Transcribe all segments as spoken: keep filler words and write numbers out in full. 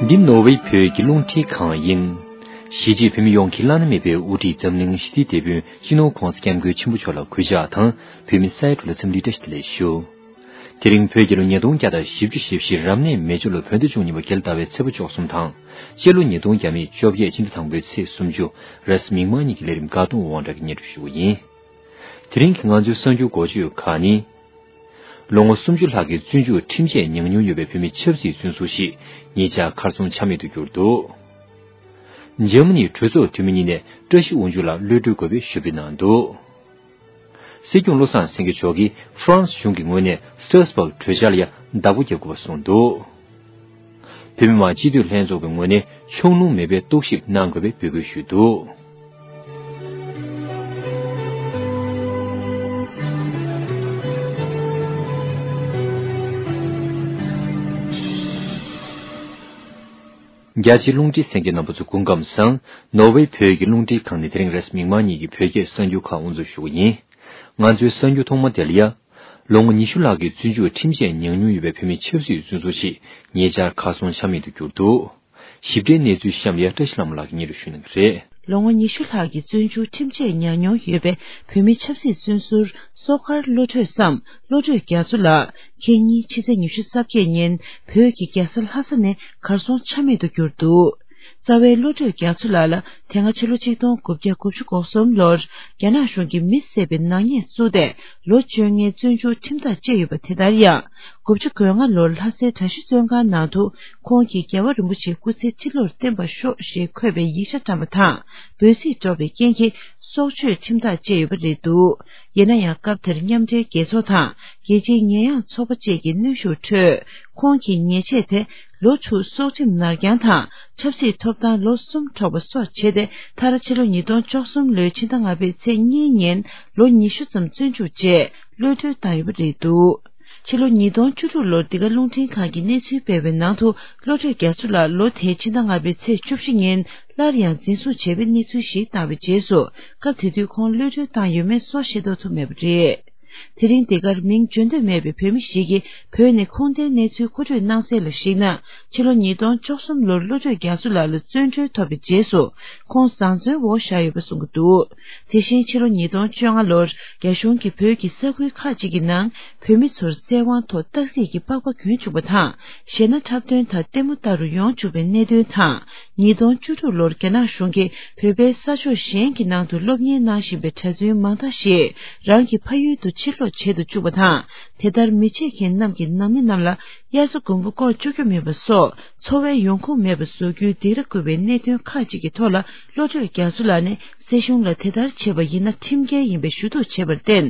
འདི་ནོར་ཝེ་བོད་ཀྱི་རླུང་འཕྲིན་ཁང་ཡིན། གཞིས་བྱེས་བོད་མི་ཡོངས་ཀྱི་བླ་ན་མེད་པའི་དབུ་ཁྲིད་འཛམ་གླིང་ཞི་བདེའི་དེད་དཔོན་སྤྱི་ནོར་༸གོང་ས་༸སྐྱབས་མགོན་ཆེན་པོ་མཆོག་ལ་གུས་ཕྱག་དང་། བོད་མི་ས་ཡ་དྲུག་ལ་འཚམས་འདྲི་བཀྲ་ཤིས་བདེ་ལེགས་ཞུ། དེ་རིང་བོད་རྒྱལ་ལོ་ཉིས་སྟོང་བརྒྱ་དང་བཞི་བཅུ་ཞེ་བཞི་རབ་གནས་མེ་བྱ་ལོ་བོད་ཟླ་བཅུ་གཉིས་པ་རྒྱལ་ཟླ་བའི་ཚེས་པ་བཅུ་གསུམ་དང་། སྤྱི་ལོ་ཉིས་སྟོང་བརྒྱ་མེད་བཅོ་བརྒྱད་སྤྱི་ཟླ་དང་པོའི་ཚེས་སུམ་ཅུ། རེས་གཟའ་མིག་དམར་ཉིན་གྱི་ལས་རིམ་དགའ་གདོང་དབང་གྲགས་ཀྱིས་སྙན་སྒྲོན་ཞུ་བ་ཡིན། དེ་རིང་གི་ང་ཚོའི་གསར་འགྱུར་འགོ་བརྗོད་ཁག་ནི། ལོ་ངོ་སུམ་ཅུ་ལྷག་གི་བཙོན་འཇུག་ཁྲིམས་ཆད་མྱངས་མྱོང་ཡོད་པའི་བོད་མི་ཆབ་སྲིད་བཙོན་ཟུར་ཞིག་ཉེ་ཆར་གར་སོང་ཆ་མེད་དུ་གྱུར་འདུག། འཇར་མ་ནིའི་གྲོས་ཚོགས་འཐུས་མི་གཉིས་ནས་བཀྲ་ཤིས་དབང་ཕྱུག་ལ་གློད་གྲོལ་དགོས་པའི་ཞུ་འབོད་གནང་འདུག། སྲིད་སྐྱོང་བློ་བཟང་སེང་གེ་མཆོག་གིས་ཧྥ་རན་སི་གཞུང་གི་ངོས་ནས་སི་ཊར་སི་བྷག་གྲོས་འཆར་ལ་ཡང་བདག་པོ་རྒྱབ་དགོས་པ་གསུངས་འདུག། བོད་མི་མང་སྤྱི་འཐུས་ལྷན་ཚོགས་ཀྱི་ངོས་ནས་ཕྱོགས་ལྷུང་མེད་པའི་རྟོག་ཞིབ་གནང་དགོས་པའི་འབོད་སྐུལ་ཞུས་འདུག། རྒྱ་ཆེའི་རླུང་འཕྲིན་གསན་མཁན་རྣམ་པ་ཚོ་སྐུ་ཁམས་བཟང་། ནོར་ཝེ་བོད་ཀྱི་རླུང་འཕྲིན་ཁང་ནས་དེ་རིང་རེས་མིག་དམར་ཉིན་གྱི་བོད་སྐད་གསར་འགྱུར་ཁག་དབུ་འཛུགས་ཞུ་གི་ཡིན། ང་ཚོའི་གསར་འགྱུར་ཐོག་མ་དེ་ལ་ཡ། ལོ་ངོ་ཉི་ཤུ་ལྷག་གི་བཙོན་འཇུག་ཁྲིམས་ཆད་མྱངས་མྱོང་ཡོད་པའི་བོད་མི་ཆབ་སྲིད་བཙོན་ཟུར་ཞིག་ཉེ་ཆར་གར་སོང་ཆ་མེད་དུ་གྱུར་འདུག། ཞིབ་ཕྲའི་གནས་ཚུལ་གཤམ་ལ་ཡ་བཀྲ་ཤིས་ལྷ་མོ་ལགས་ཀྱིས་སྙན་སྒྲོན་ཞུ་གནང་གི་རེད། ལོ་ངོ་ཉི་ཤུ་ལྷག་གི་བཙོན་འཇུག་ཁྲིམས་ཆད་མྱངས་མྱོང་ཡོད་པའི་བོད་མི་ཆབ་སྲིད་བཙོན་ཟུར་སོ་མཁར་བློ་གྲོས་སམ་བློ་གྲོས་རྒྱ་མཚོ་ལགས་ཁེ་ཉིན་ཕྱི་ཚེས་ཉི་ཤུ་རྩ་བརྒྱད་ཉིན་བོད་ཀྱི་རྒྱལ་ས་ལྷ་ས་ནས་གར་སོང་ཆ་མེད་དུ་གྱུར་འདུག། རྩ་བའི་བློ་གྲོས་རྒྱ་མཚོ་ལགས་ལ་དེ་སྔ་ཕྱི་ལོ་ཆིག་སྟོང་དགུ་བརྒྱ་དགུ་བཅུ་གོ་གསུམ་ལོར་རྒྱ་ནག་གཞུང་གིས་མི་བསད་པའི་ནག་ཉེས་བཙུགས་ཏེ་ལོ་བཅོ་ལྔའི་བཙོན་འཇུག་ཁྲིམས་ཐག་བཅད་ཡོད་པ་དེ་ལྟར་ཡང་དགུ་བཅུ་གོ་ལྔ་ལོར་ལྷ་སའི་གྲྭ་བཞི་བཙོན་ཁང་ནང་དུ་ཁོང་གིས་རྒྱལ་བ་རིན་པོ་ཆེའི་སྐུ་ཚེ་ཁྲི་ལོར་བརྟན་པར་ཤོག་ཞེས་འཁོད་པའི་ཡིག་ཆ་བཀྲམ་པ་དང་འབོད་ཚིག་སྒྲོག་པའི་རྐྱེན་གྱིས་སྲོག་གཅོད་ཁྲིམས་ཐག་བཅད་ཡོད་པ་རེད་འདུག། ཡིན་ན་ཡང་སྐབས་དེར་མཉམ་འབྲེལ་རྒྱལ་ཚོགས་དང་རྒྱལ་སྤྱིའི་ཉེས་ཡངས་ཚོགས་པ་བཅས་ཀྱི་གནོན་ཤུགས་ཁྲོད་ཁོང་གི་ཉེས་ཆད་དེ་ལོ་དྲུག་སྲོག་ཁྲིམས་ནར་འགྱངས་དང་ཆབ་སྲིད་ཐོབ་ཐང་ལོ་གསུམ་འཕྲོག་པ་སོགས་བྱས་ཏེ་མཐར་ཕྱི་ལོ་ཉིས་སྟོང་བཅུ་གསུམ་ལོའི་ཕྱི་ཟླ་ལྔ་པའི་ཚེས་གཉིས་ཉིན་ལོ་ཉི་ཤུ་ཙམ་བཙོན་འཇུག་བྱས་གློད་གྲོལ་བཏང་ཡོད་པ་རེད་འདུག། ཕྱི་ལོ་ཉིས་སྟོང་བཅུ་དྲུག་ལོར་འདི་ག་རླུང་འཕྲིན་ཁང་གིས་གནས་ཚུལ་སྤེལ་བའི་ནང་དུ་བློ་གྲོས་རྒྱ་མཚོ་ལགས་ལོ་དེའི་ཕྱི་ཟླ་ལྔ་པའི་ཚེས་བཅུ་བཞི་ཉིན་སླར་ཡང་འཛིན་བཟུང་བྱས་པའི་གནས་ཚུལ་ཞིག་བཏང་བའི་རྗེས་སུ་སྐབས་དེ་དུས་ཁོང་གློད་གྲོལ་བཏང་ཡོད་མེད་སོགས་ཤེས་རྟོགས་ཐུབ་མེད་པ་རེད། དེ་རིང་འདི་གར་མིང་བརྗོད་འདོད་མེད་པའི་བོད་མི་ཞིག་གིས་བོད་ནས་ཁུངས་ལྡན་གནས་ཚུལ་མཁོ་སྤྲོད་གནང་གསལ་ལ་གཞིགས་ན། ཕྱི་ལོ་ཉིས་སྟོང་བཅུ་གསུམ་ལོར་བློ་གྲོས་རྒྱ་མཚོ་ལགས་ལ་བཙོན་གྲོལ་ཐོབ་པའི་རྗེས་སུ་ཁོང་བཟང་བཙོན་འོག་བཞག་ཡོད་པ་གསུང་གི་འདུག། དེ་བཞིན་ཕྱི་ལོ་ཉིས་སྟོང་བཅོ་ལྔ་ལོར་རྒྱ་གཞུང་གིས་བོད་ཀྱི་ས་ཁུལ་ཁག་ཅིག་གི་ནང་བོད་མི་ཚོར་བཙན་དབང་ཐོག་སྟག་གཟིག་གི་པགས་པ་གྱོན་བཅུག་པ་དང་གཞས་སྣ་འཁྲབ་སྟོན་དང་ལྟད་མོ་ལྟ་རུ་ཡོང་བཅུག་པའི་གནད་དོན་དང་། ཉིས་སྟོང་བཅུ་དྲུག་ལོར་རྒྱ་ནག་གཞུང་གིས་བོད་པའི་ས་ཕྱོགས་གཞན་གྱི་ནང་དུ་སློབ་གཉེར་གནང་བཞིན་པའི་གྲྭ་བཙུན་མང་དག་ཞིག་རང་གི་ཕ་ཡུལ་དུ་ཕྱིར་ལོག་བྱེད་དུ་བཅུག་པ་དང་། དེ་ལྟར་མི་བྱེད་མཁན་རྣམས་ཀྱི་ནང་མི་རྣམས་ལ་དབྱར་རྩྭ་དགུན་འབུ་བཀོག་བཅུག་རྒྱུ་མེད་པ་སོགས་འཚོ་བའི་ཡོང་ཁུངས་མེད་པ་བཟོ་རྒྱུའི་སྡིགས་ར་བསྐུལ་བའི་གནད་དོན་ཁག་ཅིག་གི་ཐོག་ལ་བློ་གྲོས་རྒྱ་མཚོ་ལགས་ནས་སྲིད་གཞུང་ལ་དེ་ལྟར་བྱེད་པ་ཡིན་ན་ཁྲིམས་འགལ་ཡིན་པའི་ཞུ་གཏུག་བྱས་པར་བརྟེན།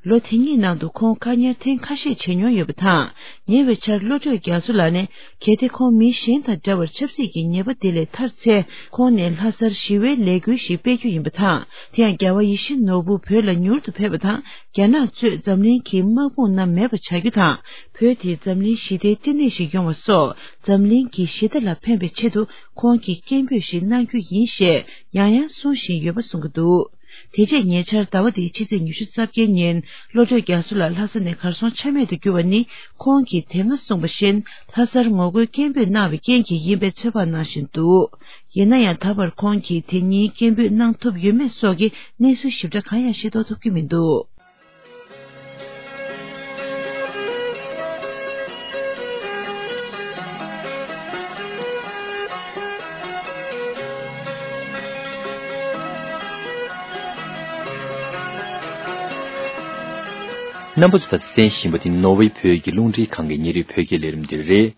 ལོ་དེ་གཉིས་ནང་དུ་ཁོང་བཀག་ཉར་ཐེངས་ཁ་ཤས་བྱས་མྱོང་ཡོད་པ་དང་། ཉེ་བའི་ཆར་བློ་གྲོས་རྒྱ་མཚོ་ལགས་ནས། གལ་ཏེ་ཁོང་མི་གཞན་དང་འདྲ་བར་ཆབ་སྲིད་ཀྱི་ཉེས་པ་དེ་ལས་ཐར་ཚེ། ཁོང་ནས་ལྷ་སར་ཞི་བའི་ལས་འགུལ་ཞིག་སྤེལ་རྒྱུ་ཡིན་པ་དང་། དེ་ཡང་རྒྱལ་བ་ཡིད་བཞིན་ནོར་བུ་བོད་ལ་མྱུར་དུ་ཕེབས་པ་དང་། རྒྱ་ནག་གཙོས་འཛམ་གླིང་གི་དམག་དཔུང་རྣམས་མེད་པ་བྱ་རྒྱུ་དང་། བོད་དེ་འཛམ་གླིང་ཞི་བདེའི་བསྟི་གནས་ཤིག་ཡོང་བ་སོགས། འཛམ་གླིང་གི་ཞི་བདེ་ལ་ཕན་པའི་ཆེད་དུ་ཁོང་གིས་སྐད་འབོད་ཞིག་གནང་རྒྱུ་ཡིན་ཞེས་ཡང་ཡང་གསུང་བཞིན་ཡོད་པ་གསུང་གི་འདུག། དེ་རྗེས་ཉེ་ཆར་ཟླ་བ་འདིའི་ཕྱི་ཚེས་ཉི་ཤུ་རྩ་བརྒྱད་ཉིན་བློ་གྲོས་རྒྱ་མཚོ་ལགས་ལྷ་ས་ནས་གར་སོང་ཆ་མེད་དུ་གྱུར་བ་ནི། ཁོང་གིས་དེ་སྔ་གསུངས་པ་བཞིན་ལྷ་སར་ངོ་རྒོལ་སྐད་འབོད་གནང་བའི་རྐྱེན་གྱིས་ཡིན་པའི་ཚོད་དཔག་གནང་བཞིན་འདུག། ཡིན་ན་ཡང་ད་བར་ཁོང་གིས་དེ་ཉིན་སྐད་འབོད་གནང་ཐུབ་ཡོད་མེད་སོགས་ཀྱི་གནས་ཚུལ་ཞིབ་ཕྲ་གང་ཡང་ཤེས་རྟོགས་ཐུབ་ཀྱི་མི་འདུག། རྣམ་པ་ཚོ་ད་ལྟ་གསན་བཞིན་པ་དེ་ནོར་ཝེ་བོད་ཀྱི་རླུང་འཕྲིན་ཁང་གི་ཉིན་རེའི་བོད་སྐད་ལས་རིམ་འདི་རེད།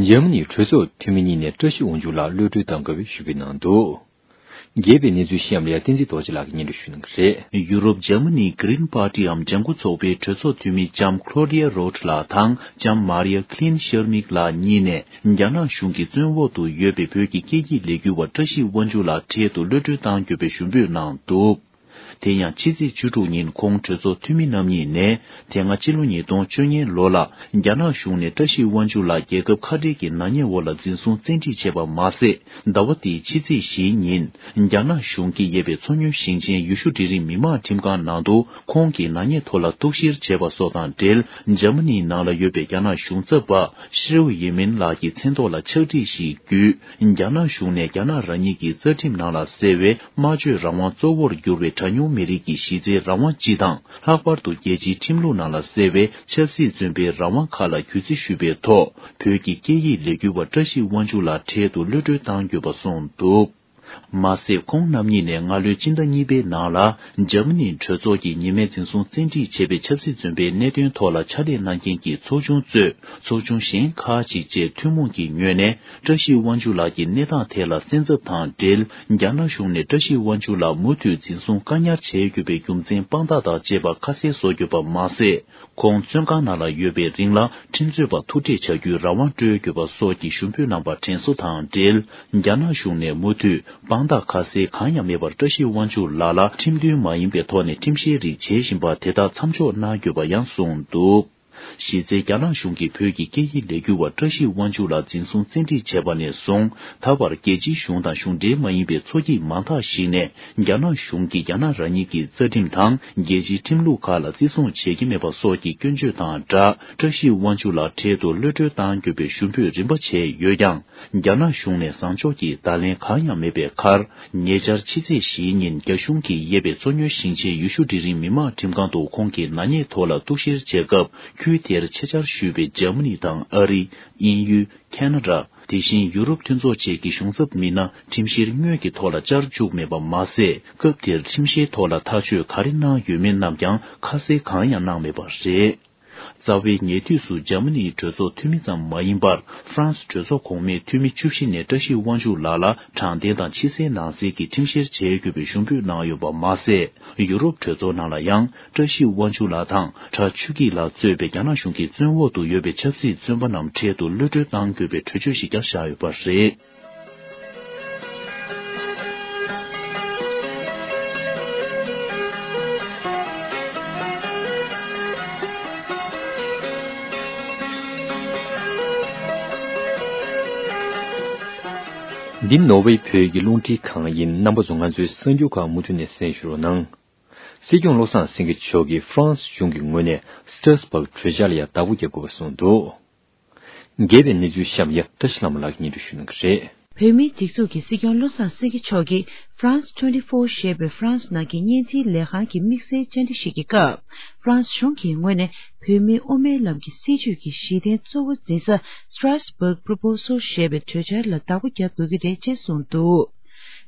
འཇར་མ་ནིའི་གྲོས་ཚོགས་འཐུས་མི་གཉིས་ནས་བཀྲ་ཤིས་དབང་ཕྱུག་ལགས་གློད་གྲོལ་གཏང་དགོས་པའི་ཞུ་འབོད་གནང་འདུག། རྒྱས་པའི་གནས་ཚུལ་གཤམ་ལ་ཡ་བསྟན་འཛིན་རྡོ་རྗེ་ལགས་ཀྱིས་སྙན་སྒྲོན་ཞུ་གནང་གི་རེད། ཡུ་རོབ་འཇར་མ་ནིའི་Green Party འམ་ལྗང་ཁུ་ཚོགས་པའི་གྲོས་ཚོགས་འཐུས་མི་ལྕམ་Claudia Roth ལགས་དང་ལྕམ་Maria Klin Schermig ལགས་གཉིས་ནས་རྒྱ་ནག་གཞུང་གིས་བཙོན་འོག་ཏུ་ཡོད་པའི་བོད་ཀྱི་སྐད་ཡིག་ལས་འགུལ་བ་བཀྲ་ཤིས་དབང་ཕྱུག་ལགས་འཕྲལ་དུ་གློད་གྲོལ་གཏང་དགོས་པའི་ཞུ་འབོད་གནང་འདུག། དེ་ཡང་ཕྱི་ཚེས་བཅུ་དྲུག་ཉིན་ཁོང་གྲོས་ཚོགས་འཐུས་མི་རྣམ་གཉིས་ནས། དེ་སྔ་ཕྱི་ལོ་ཉིས་སྟོང་བཅོ་ལྔའི་ལོ་ལ་རྒྱ་ནག་གཞུང་ནས་བཀྲ་ཤིས་དབང་ཕྱུག་ལགས་རྒྱལ་ཁབ་ཁ་བྲལ་གྱི་ནག་ཉེས་འོག་ལ་འཛིན་བཟུང་བཙན་ཁྲིད་བྱས་པ་མ་ཟད། ཟླ་བ་འདིའི་ཕྱི་ཚེས་བཞིའི་ཉིན། རྒྱ་ནག་གཞུང་གིས་གཡས་པའི་མཚོ་སྔོན་ཞིང་ཆེན་ཡུལ་ཤུལ་འབྲིང་རིམ་མི་དམངས་ཁྲིམས་ཁང་ནང་དུ་ཁོང་གི་ནག་ཉེས་ཐོག་ལ་གཏུག་བཤེར་བྱས་པ་སོགས་དང་འབྲེལ། འཇར་མ་ནིའི་ནང་ལ་ཡོད་པའི་རྒྱ་ནག་གཞུང་ཚབ་པ་ཧྲེའུ་ཡེ་མིན་ལགས་ཀྱི་མཚན་ཐོག་ལ་ཕྱག་བྲིས་ཤིག་བརྒྱུད། རྒྱ་ནག་གཞུང་ནས་རྒྱ་ནག་རང་ཉིད་ཀྱི་རྩ་ཁྲིམས་ནང་ལ་གསལ་བའི་སྨྲ་བརྗོད་རང་དབང་གཙོ་བོར་གྱུར་བའི་གྲངས་ཉུང་མི་རིགས་ཀྱི་གཞི་རྩའི་རང་དབང་སྤྱི་དང་། ལྷག་པར་དུ་རྒྱལ་སྤྱིའི་ཁྲིམས་ལུགས་ནང་ལ་གསལ་བའི་ཆབ་སྲིད་བཙོན་པའི་རང་དབང་ཁག་ལ་གུས་བརྩི་ཞུས་པའི་ཐོག་བོད་ཀྱི་སྐད་ཡིག་ལས་འགུལ་བ་བཀྲ་ཤིས་དབང་ཕྱུག་ལགས་འཕྲལ་དུ་གློད་གྲོལ་གཏང་དགོས་པ་གསུངས་འདུག་མ་ཟད། ཁོང་རྣམ་གཉིས་ནས་སྔ་ལོའི་སྤྱི་ཟླ་གཉིས་པའི་ནང་ལ་འཇར་མ་ནིའི་གྲོས་ཚོགས་ཀྱིས་ཉེས་མེད་འཛིན་བཟུང་བཙན་ཁྲིད་བྱས་པའི་ཆབ་སྲིད་བཙོན་པའི་གནད་དོན་ཐོག་ལ་ཕྱག་ལས་གནང་མཁན་གྱི་ཚོགས་ཆུང་གཙོས་ཚོགས་ཆུང་གཞན་ཁག་ཅིག་བཅས་ཐུན་མོང་གི་ངོས་ནས། བཀྲ་ཤིས་དབང་ཕྱུག་ལགས་ཀྱི་གནས་སྟངས་ཐད་ལ་གསན་ཚབ་དང་འབྲེལ། རྒྱ་ནག་གཞུང་ནས་བཀྲ་ཤིས་དབང་ཕྱུག་ལགས་མུ་མཐུད་འཛིན་བཟུང་བཀག་ཉར་བྱས་ཡོད་པའི་རྒྱུ་མཚན་དཔང་རྟགས་དང་བཅས་པ་ཁ་གསལ་བཟོ་དགོས་པ་མ་ཟད། ཁོང་བཙོན་ཁང་ནང་ལ་ཡོད་པའི་རིང་ལ་ཁྲིམས་རྩོད་པ་ཐུག་འཕྲད་བྱ་རྒྱུའི་རང་དབང་སྤྲོད་དགོས་པ་སོགས་ཀྱི་ཞུ་འབོད་གནང་པ་དྲན་གསོ་དང་འབྲེལ། རྒྱ་ནག་གཞུང་ནས་མུ་མཐུད་དཔང་རྟགས་ཁ་གསལ་གང་ཡང་མེད་པར་བཀྲ་ཤིས་དབང་ཕྱུག་ལགས་ལ་ཁྲིམས་མཐུན་མ་ཡིན་པའི་ཐོག་ནས་ཁྲིམས་བཤེར་རིགས་བྱེད་བཞིན་པ་དེ་དག་མཚམས་འཇོག་གནང་དགོས་པ་ཡང་གསུངས་འདུག་གཞི་རྩའི་རྒྱ་ནག་གཞུང་གིས་བོད་ཀྱི་སྐད་ཡིག་ལས་འགུལ་བ་བཀྲ་ཤིས་དབང་ཕྱུག་ལགས་འཛིན་བཟུང་བཙན་ཁྲིད་བྱས་པ་ནས་བཟུང་ད་བར་རྒྱལ་སྤྱིའི་གཞུང་དང་གཞུང་འབྲེལ་མ་ཡིན་པའི་ཚོགས་སྐྱིད་མང་དག་ཞིག་ནས་རྒྱ་ནག་གཞུང་གིས་རྒྱ་ནག་རང་ཉིད་ཀྱི་རྩ་ཁྲིམས་དང་རྒྱལ་སྤྱིའི་ཁྲིམས་ལུགས་ཁག་ལ་བརྩི་སྲུང་བྱེད་ཀྱི་མེད་པ་སོགས་ཀྱི་སྐྱོན་བརྗོད་དང་སྦྲགས། བཀྲ་ཤིས་དབང་ཕྱུག་ལགས་འཕྲལ་དུ་གློད་གྲོལ་གཏང་དགོས་པའི་ཞུ་འབོད་རིམ་པ་བྱས་ཡོད་ཀྱང་། རྒྱ་ནག་གཞུང་ནས་བཟང་ཕྱོགས་ཀྱི་བརྡ་ལན་གང་ཡང་མེད་པའི་ཁར། ཉེ་ཆར་ཕྱི་ཚེས་བཞིའི་ཉིན་རྒྱ་གཞུང་གིས་གཡས་པའི་མཚོ་སྔོན་ཞིང་ཆེན་ཡུལ་ཤུལ་འབྲིང་རིམ་མི་དམངས་ཁྲིམས་ཁང་དུ་ཁོང་གི་ནག་ཉེས་ཐོག་ལ་གཏུག་བཤེར་བྱས་སྐབས། ཁུལ་དེར་ཆེད་བཅར་ཞུས་པའི་འཇར་མ་ནི་དང་ཨ་རི། དབྱིན་ཡུལ། ཁེ་ན་ཌ། དེ་བཞིན་ཡུ་རོབ་མཐུན་ཚོགས་བཅས་ཀྱི་གཞུང་ཚབ་མི་སྣ་ཁྲིམས་བཤེར་དངོས་ཀྱི་ཐོག་ལ་བཅར་བཅུག་མེད་པ་མ་ཟད། སྐབས་དེར་ཁྲིམས་བཤེར་ཐོག་ལ་ཐག་གཅོད་ག་རེ་གནང་ཡོད་མེད་རྣམས་ཀྱང་ཁ་གསལ་གང་ཡང་གནང་མེད་པ་རེད། རྩ་བའི་ཉེ་དུས་སུ་འཇར་མ་ནིའི་གྲོས་ཚོགས་འཐུས་མི་ཙམ་མ་ཡིན་པར། ཧྥ་རན་སི་གྲོས་ཚོགས་གོང་མའི་འཐུས་མི་བཅུ་བཞི་ནས་བཀྲ་ཤིས་དབང་ཕྱུག་ལགས་ལ་དྲང་བདེན་དང་ཕྱི་གསལ་ནང་གསལ་གྱི་ཁྲིམས་བཤེར་བྱེད་དགོས་པའི་ཞུ་འབོད་གནང་ཡོད་པ་མ་ཟད། ཡུ་རོབ་གྲོས་ཚོགས་ནང་ལ་ཡང་། བཀྲ་ཤིས་དབང་ཕྱུག་ལགས་དང་། གྲྭ་ཆོས་སྐྱིད་ལགས་གཙོས་པའི་རྒྱ་ནག་གཞུང་གི་བཙོན་འོག་ཏུ་ཡོད་པའི་ཆབ་སྲིད་བཙོན་པ་རྣམས་འཕྲལ་དུ་གློད་གྲོལ་གཏང་དགོས་པའི་གྲོས་ཆོད་ཞིག་ཀྱང་བཞག་ཡོད་པ་རེད། འདི་ནོར་ཝེ་བོད་ཀྱི་རླུང་འཕྲིན་ཁང་ཡིན། རྣམ་པ་ཚོ་ང་ཚོའི་གསར་འགྱུར་ཁག་མུ་མཐུད་ནས་གསན་ཞུ་རོགས་གནང་། སྲིད་སྐྱོང་བློ་བཟང་སེང་གེ་མཆོག་གིས་ཧྥ་རན་སི་གཞུང་གི་ངོས་ནས་སི་ཏྲ་སི་བྷག་གྲོས་འཆར་ལ་ཡང་བདག་པོ་རྒྱག་དགོས་པ་གསུངས་འདུག། རྒྱས་པའི་གནས་ཚུལ་གཤམ་ཡ་བཀྲ་ཤིས་ལྷ་མོ་ལགས་ཀྱིས་སྙན་སྒྲོན་ཞུ་གནང་གི་རེད། བོད་མིའི་སྒྲིག་འཛུགས་ཀྱི་སྲིད་སྐྱོང་བློ་བཟང་སེང་གེ་མཆོག་གིས་France twenty-four ཞེས་པའི་ཧྥ་རན་སི་ནང་གི་བརྙན་འཕྲིན་ལས་ཁང་གི་དམིགས་བསལ་བཅར་འདྲི་ཞིག་གི་སྐབས། ཧྥ་རན་སི་གཞུང་གི་ངོས་ནས་བོད་མིའི་དབུ་མའི་ལམ་གྱི་སྲིད་བྱུས་ཀྱི་གཞི་རྟེན་གཙོ་བོ་འཛིན་ས་Strasbourg Proposal ཞེས་པའི་གྲོས་འཆར་ལ་བདག་པོ་རྒྱབ་དགོས་ཀྱི་རེད་ཅེས་གསུངས་འདུག།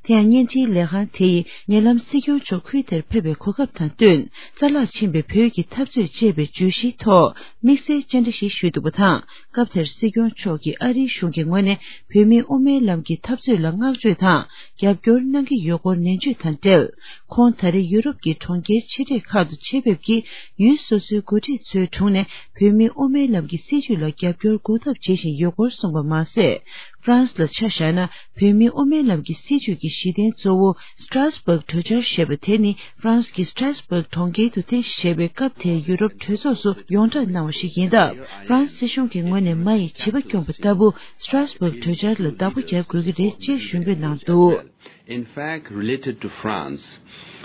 དེ་ཡང་བརྙན་འཕྲིན་ལས་ཁང་དེ་ཡིས་ཉེ་ལམ་སྲིད་སྐྱོང་མཆོག་ཁུལ་དེར་ཕེབས་པའི་གོ་སྐབས་དང་བསྟུན། རྩ་བརླག་ཕྱིན་པའི་བོད་ཀྱི་འཐབ་རྩོད་ཅེས་པའི་བརྗོད་གཞིའི་ཐོག་དམིགས་བསལ་བཅར་འདྲི་ཞིག་ཞུས་འདུག་པ་དང་། སྐབས་དེར་སྲིད་སྐྱོང་མཆོག་གིས་ཨ་རིའི་གཞུང་གི་ངོས་ནས་བོད་མིའི་དབུ་མའི་ལམ་གྱི་འཐབ་རྩོད་ལ་བསྔགས་བརྗོད་དང་རྒྱབ་སྐྱོར་གནང་གི་ཡོད་སྐོར་ནན་བརྗོད་དང་འབྲེལ། ཁོང་ད་རེས་ཡུ་རོབ་ཀྱི་གྲོང་ཁྱེར་ཆེ་གྲས་ཁག་ཏུ་ཆེད་ཕེབས་ཀྱིས་ཡུལ་སོ་སོའི་འགོ་ཁྲིད་ཚོའི་དྲུང་ནས་བོད་མིའི་དབུ་མའི་ལམ་གྱི་སྲིད་བྱུས་ལ་རྒྱབ་སྐྱོར་གོ་ཐབས་བྱེད་བཞིན་ཡོད་སྐོར་གསུངས་པ་མ་ཟད། ཧྥ་རན་སི་ལ་ཆ་བཞག་ན། བོད་མིའི་དབུ་མའི་ལམ་གྱི་སྲིད་བྱུས་ཀྱི་གཞི་རྟེན་གཙོ་བོ་Strasbourg གྲོས་འཆར་ཞེས་པ་དེ་ནི་ཧྥ་རན་སི་གི་Strasbourg གྲོང་ཁྱེར་དུ་ཐེངས་བཞི་པའི་སྐབས་དེའི་ཡུ་རོབ་གྲོས་ཚོགས་སུ་ཡོངས་བསྒྲགས་གནང་བ་ཞིག་ཡིན་སྟབས། ཧྥ་རན་སི་སྲིད་གཞུང་གི་ངོས་ནས་མ་ཡི་བྱིས་པ་སྐྱོང་པ་ལྟ་བུ་Strasbourg གྲོས་འཆར་ལ་བདག་པོ་རྒྱག་དགོས་ཀྱི་རེད་ཅེས་ཞུ་འབོད་གནང་འདུག། In fact, related to France,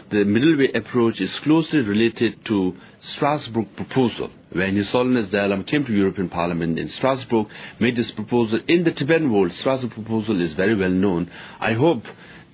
the middle way approach is closely related to Strasbourg proposal. When His Holiness Dalai Lama came to European Parliament in Strasbourg, made this proposal in the Tibetan world, Strasbourg proposal is very well known. I hope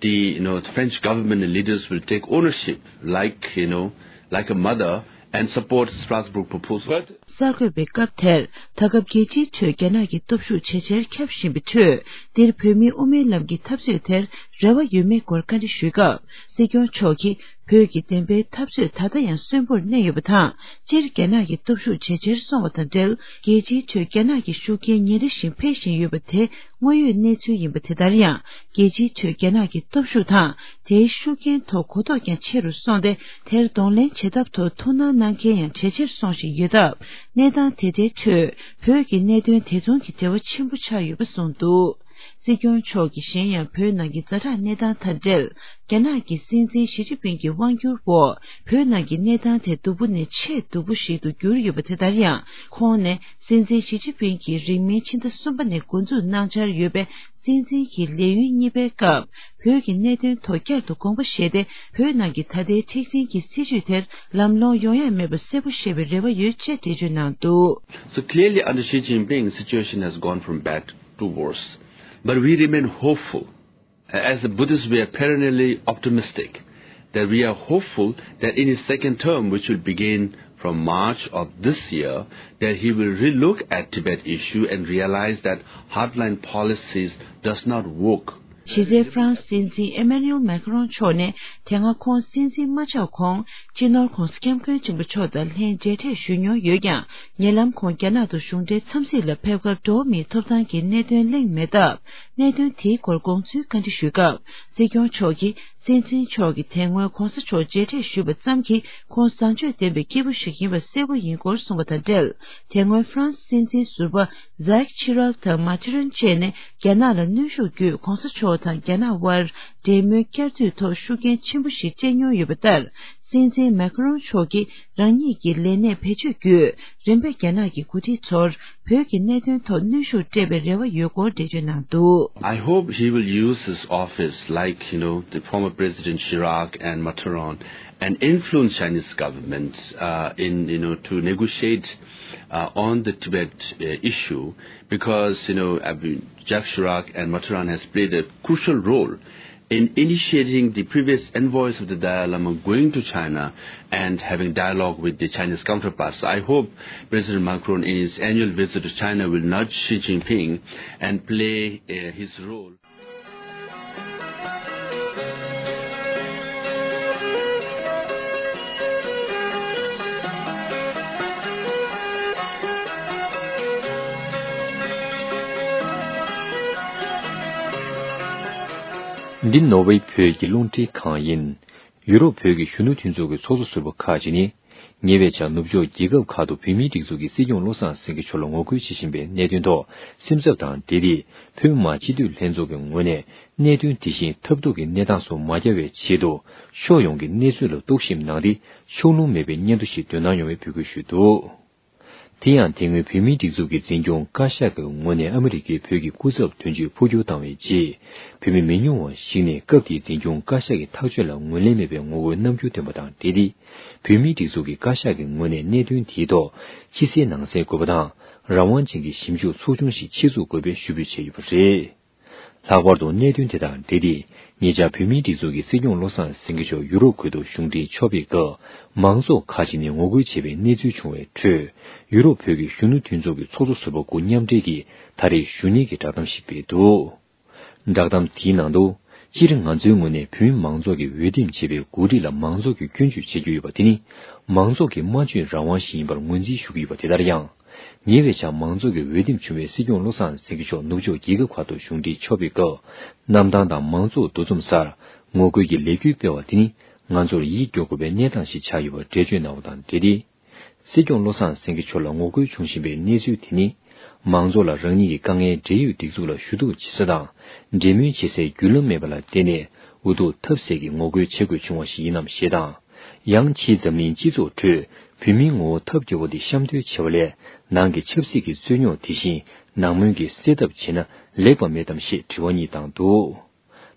the, you know, the French government and leaders will take ownership, like, you know, like a mother, and support Strasbourg proposal. But གསར་འགོད་པའི་སྐབས་དེར། ད་སྐབས་རྒྱལ་སྤྱིའི་ཁྲོད་རྒྱ་ནག་གི་སྟོབས་ཤུགས་ཇེ་ཆེར་ཁྱབ་བཞིན་པའི་ཁྲོད། འདིར་བོད་མིའི་དབུ་མའི་ལམ་གྱི་འཐབ་རྩོད་དེར་རེ་བ་ཡོད་མེད་སྐོར་བཀའ་འདྲི་ཞུས་སྐབས། སྲིད་སྐྱོང་མཆོག་གིས། བོད་ཀྱི་བདེན་པའི་འཐབ་རྩོད་ད་ལྟ་ཡང་གསོན་པོར་གནས་ཡོད་པ་དང་། སྤྱིར་རྒྱ་ནག་གི་སྟོབས་ཤུགས་ཇེ་ཆེར་སོང་བ་དང་འབྲེལ། རྒྱལ་སྤྱིའི་ཁྲོད་རྒྱ་ནག་གི་ཤུགས་རྐྱེན་ཉིན་རེ་བཞིན་འཕེལ་བཞིན་ཡོད་པ་དེ་དངོས་ཡོད་གནས་ཚུལ་ཡིན་པ། དེ་ལྟར་ཡང་རྒྱལ་སྤྱིའི་ཁྲོད་རྒྱ་ནག་གི་སྟོབས་ཤུགས་དང་། དེའི་ཤུགས་རྐྱེན་ཐོག་གོ་རྟོགས་ཀྱང་ཆེ་རུ་སོང་སྟེ། དེར་གདོང་ལེན་བྱེད་ཐབས་ཐོག་ཐུགས་སྣང་གནང་མཁན་ཡང་ཇེ་ཆེར་སོང་བཞིན་ཡོད་སྟབས། གནས་སྟངས་དེ་འདྲའི་ཁྲོད་བོད་ཀྱི་གནད་དོན་དེ་མཚུངས་ཀྱི་འབྲེལ་བ་ཆེན་པོ་ཆགས་ཡོད་པ་གསུངས་འདུག། སྲིད་སྐྱོང་མཆོག་གིས་གཞན་ཡང་བོད་ནང་གི་ཛ་དྲག་གནས་སྟངས་དང་འབྲེལ། རྒྱ་ནག་གི་སྲིད་འཛིན་ཞི་ཅིན་ཕིང་གི་དབང་བསྒྱུར་འོག་བོད་ནང་གི་གནས་སྟངས་དེ་སྡུག་པོ་ནས་ཆེས་སྡུག་པོ་ཞིག་ཏུ་གྱུར་ཡོད་པ་དེ་ལྟར་ཡང་། ཁོང་ནས་སྲིད་འཛིན་ཞི་ཅིན་ཕིང་གིས་རིང་མིན་ཕྱི་ཟླ་གསུམ་པ་ནས་འགོ་འཛུགས་གནང་འཆར་ཡོད་པའི་སྲིད་འཛིན་གྱི་ལས་ཡུན་གཉིས་པའི་སྐབས། བོད་ཀྱི་གནད་དོན་ཐོག་བསྐྱར་དུ་དགོངས་པ་བཞེས་ཏེ། བོད་ནང་གི་ད་ལྟའི་མཁྲེགས་འཛིན་གྱི་སྲིད་བྱུས་དེར་ལམ་ལྷོང་ཡོང་ཡ་མེད་པ་གསལ་པོ་ཤེས་པའི་རེ་བ་ཡོད་ཅེས་འགྲེལ་བརྗོད་གནང་འདུག། So clearly, under Xi Jinping, situation has gone from bad to worse. But we remain hopeful. As the Buddhists, we are perennially optimistic that we are hopeful that in his second term, which will begin from March of this year, that he will relook at Tibet issue and realize that hardline policies does not work. གཞི་རྩའི་ཧྥ་རན་སི་སྲིད་འཛིན་ཨེ་མ་ནུ་ཨེལ་མེ་ཁ་རོན་མཆོག་ནས་དེ་སྔ་ཁོང་སྲིད་འཛིན་མ་ཆགས་གོང་སྤྱི་ནོར་༧གོང་ས་༧སྐྱབས་མགོན་ཆེན་པོ་མཆོག་དང་ལྷན་མཇལ་འཕྲད་ཞུས་མྱོང་ཡོད་ཀྱང་། ཉེ་ལམ་ཁོང་རྒྱ་ནག་ཏུ་གཞུང་འབྲེལ་འཚམས་གཟིགས་ལ་ཕེབས་སྐབས་འགྲོ་བ་མིའི་ཐོབ་ཐང་གི་གནད་དོན་གླེང་མེད་སྟབས། གནད་དོན་དེའི་སྐོར་དགོངས་ཚུལ་བཀའ་འདྲི་ཞུས་སྐབས། སྲིད་སྐྱོང་མཆོག་གིས། སྲིད་འཛིན་མཆོག་གིས་དེ་སྔོན་༧གོང་ས་མཆོག་མཇལ་འཕྲད་ཞུས་པ་ཙམ་གྱིས་ཁོང་བཟང་སྤྱོད་ལྡན་པའི་སྐྱེས་བུ་ཞིག་ཡིན་པ་གསལ་པོ་ཡིན་སྐོར་གསུངས་པ་དང་འབྲེལ། དེ་སྔོན་ཧྥ་རན་སི་སྲིད་འཛིན་ཟུར་པ་ཛེག་ཆི་རག་དང་མ་ཐི་རན་བཅས་ནས་རྒྱ་ནག་ལ་གནོན་ཤུགས་བརྒྱུད་༧གོང་ས་མཆོག་དང་རྒྱ་ནག་དབར་འབྲེལ་མོལ་བསྐྱར་མཐུད་ཐོག་ཤུགས་རྐྱེན་ཆེན་པོ་ཞིག་སྤྲད་མྱོང་ཡོད་པ་ལྟར། སྲིད་འཛིན་མེ་ཁ་རོན་མཆོག་གིས་རང་ཉིད་ཀྱི་ལས་གནས་བེད་སྤྱོད་བརྒྱུད་རིམ་པས་རྒྱ་ནག་གི་འགོ་ཁྲིད་ཚོར་བོད་ཀྱི་གནད་དོན་ཐོག་གནོན་ཤུགས་སྤྲད་པའི་རེ་བ་ཡོད་སྐོར་འགྲེལ་བརྗོད་གནང་འདུག། I hope he will use his office like, you know, the former President Chirac and Mitterrand and influence Chinese governments, uh, in, you know, to negotiate, uh, on the Tibet, uh, issue because, you know, I mean, Jacques Chirac and Mitterrand has played a crucial role in initiating the previous envoys of the Dalai Lama going to China and having dialogue with the Chinese counterparts. I hope President Macron, in his annual visit to China, will nudge Xi Jinping and play, uh, his role. འདི་ནོར་ཝེ་བོད་ཀྱི་རླུང་འཕྲིན་ཁང་ཡིན། ཡུ་རོབ་བོད་ཀྱི་གཞོན་ནུ་མཐུན་ཚོགས་ཀྱི་ཚོགས་གཙོ་ཟུར་པ་ཁག་ཅིག་ནི། ཉེ་བའི་ཆར་ནུབ་ཕྱོགས་རྒྱལ་ཁབ་ཁག་ཏུ་བོད་མིའི་སྒྲིག་འཛུགས་ཀྱི་སྲིད་སྐྱོང་བློ་བཟང་སེང་གེ་མཆོག་ལ་ངོ་རྒོལ་བྱེད་བཞིན་པའི་གནད་དོན་ཐོག་སེམས་འཚབ་དང་འབྲེལ་ཏེ། བོད་མི་མང་སྤྱི་འཐུས་ལྷན་ཚོགས་ཀྱི་ངོས་ནས་གནད་དོན་དེ་བཞིན་ཐབས་སྡུག་གི་གནས་སྟངས་སུ་མ་བསྐྱལ་བའི་ཆེད་དུ། ཕྱོགས་ཡོངས་ཀྱི་གནས་ཚུལ་ལ་རྟོག་ཞིབ་གནང་སྟེ། ཕྱོགས་ལྷུང་མེད་པའི་སྙན་ཐོ་ཞིག་འདོན་གནང་ཡོང་བའི་འབོད་སྐུལ་ཞུས་འདུག། དེ་ཡང་དེ་སྔོན་བོད་མིའི་སྒྲིག་འཛུགས་ཀྱི་འཛིན་སྐྱོང་བཀའ་ཤག་གི་ངོས་ནས་ཨ་མི་རི་ཀའི་བོད་ཀྱི་སྐུ་ཚབ་དོན་གཅོད་འཕོ་འགྱུར་བཏང་བའི་རྗེས། བོད་མི་མི་ཉུང་བ་ཞིག་ནས་སྐབས་དེའི་འཛིན་སྐྱོང་བཀའ་ཤག་གི་ཐག་གཅོད་ལ་ངོས་ལེན་མེད་པའི་ངོ་རྒོལ་རྣམ་འགྱུར་བསྟན་པ་དང་འབྲེལ་ཏེ། བོད་མིའི་སྒྲིག་འཛུགས་ཀྱི་བཀའ་ཤག་གི་ངོས་ནས་གནད་དོན་དེའི་ཐོག་ཕྱི་གསལ་ནང་གསལ་དགོས་པ་དང་། རང་དབང་ཅན་གྱི་ཞིབ་འཇུག་ཚོགས་ཆུང་ཞིག་ཆེད་འཛུགས་དགོས་པའི་ཞུ་འབོད་བྱས་ཡོད་པ་རེད། ལྷག་པར་དུ་གནད་དོན་དེ་དང་འབྲེལ་ཏེ། ཉེ་ཆར་བོད་མིའི་སྒྲིག་འཛུགས་ཀྱི་སྲིད་སྐྱོང་བློ་བཟང་སེང་གེ་མཆོག་ཡུ་རོབ་ཁུལ་དུ་གཞུང་འབྲེལ་ཕྱོགས་ཕེབས་སྐབས། མང་ཚོགས་ཁག་ཅིག་ནས་ངོ་རྒོལ་བྱས་པའི་གནས་ཚུལ་བྱུང་བའི་ཁྲོད། ཡུ་རོབ་བོད་ཀྱི་གཞོན་ནུ་མཐུན་ཚོགས་ཀྱི་ཚོགས་གཙོ་ཟུར་པ་དགུ་མཉམ་འབྲེལ་གྱིས་ད་རེས་ཞུ་སྙན་གྱི་བསྒྲགས་གཏམ་ཞིག་སྤེལ་འདུག། བསྒྲགས་གཏམ་དེའི་ནང་དུ། སྤྱིར་ང་ཚོའི་ངོས་ནས་བོད་མི་མང་ཚོགས་ཀྱིས་འོས་འདེམས་བྱས་པའི་འགོ་ཁྲིད་ལ་མང་ཚོགས་ཀྱིས་སྐྱོན་བརྗོད་བྱེད་ཀྱི་ཡོད་པ་དེ་ནི། མང་ཚོགས་ཀྱི་སྨྲ་བརྗོད་རང་དབང་ཞིག་ཡིན་པར་ངོས་འཛིན་ཞུ་གི་ཡོད་པ་དེ་ལྟར་ཡང་། ཉེ་བའི་ཆར་མང་ཚོགས་ཀྱིས་འོས་འདེམས་བྱུང་བའི་སྲིད་སྐྱོང་བློ་བཟང་སེང་གེ་མཆོག་ནུབ་ཕྱོགས་རྒྱལ་ཁབ་ཁག་ཏུ་གཞུང་འབྲེལ་ཕྱོགས་ཕེབས་སྐབས། གནམ་ཐང་དང་མང་ཚོགས་འདུ་འཛོམས་སར་ངོ་རྒོལ་གྱི་ལས་འགུལ་སྤེལ་བ་དེ་ནི། ང་ཚོར་ཡིད་སྐྱོ་དགོས་པའི་གནས་སྟངས་ཤིག་ཆགས་ཡོད་པར་འགྲེལ་བརྗོད་གནང་བ་དང་འབྲེལ་ཏེ། སྲིད་སྐྱོང་བློ་བཟང་སེང་གེ་མཆོག་ལ་ངོ་རྒོལ་བྱུང་བཞིན་པའི་གནས་ཚུལ་དེ་ནི། མང་ཚོགས་ལ་རང་ཉིད་ཀྱི་དཀའ་ངལ་འབྲེལ་ཡོད་སྒྲིག་འཛུགས་ལ་ཞུ་གཏུག་བྱེད་ས་དང་། འབྲེལ་མོལ་བྱེད་སའི་བརྒྱུད་ལམ་མེད་པ་ལ་བརྟེན་ནས། འུ་ཐུག་ཐབས་ཟད་ཀྱིས་ངོ་རྒོལ་བྱེད་དགོས་བྱུང་བ་ཞིག་ཡིན་ནམ་ཞེས་དང་། ཡང་ཕྱིའི་འཛམ་གླིང་སྤྱི་ཚོགས་ཁྲོད། བོད་མིའི་ངོ་བོ་ཐབས་སྐྱོ་བོ་དེ་གཤམ་སྟོན་བྱས་པ་ལས། ནང་གི་ཆབ་སྲིད་ཀྱི་རྩོད་རྙོག་དེ་བཞིན། ནང་མོལ་གྱིས་སེལ་ཐབས་བྱས་ན་ལེགས་པ་མེད་དམ་ཞེས་དྲི་བ་གཉིས་བཏང་འདུག།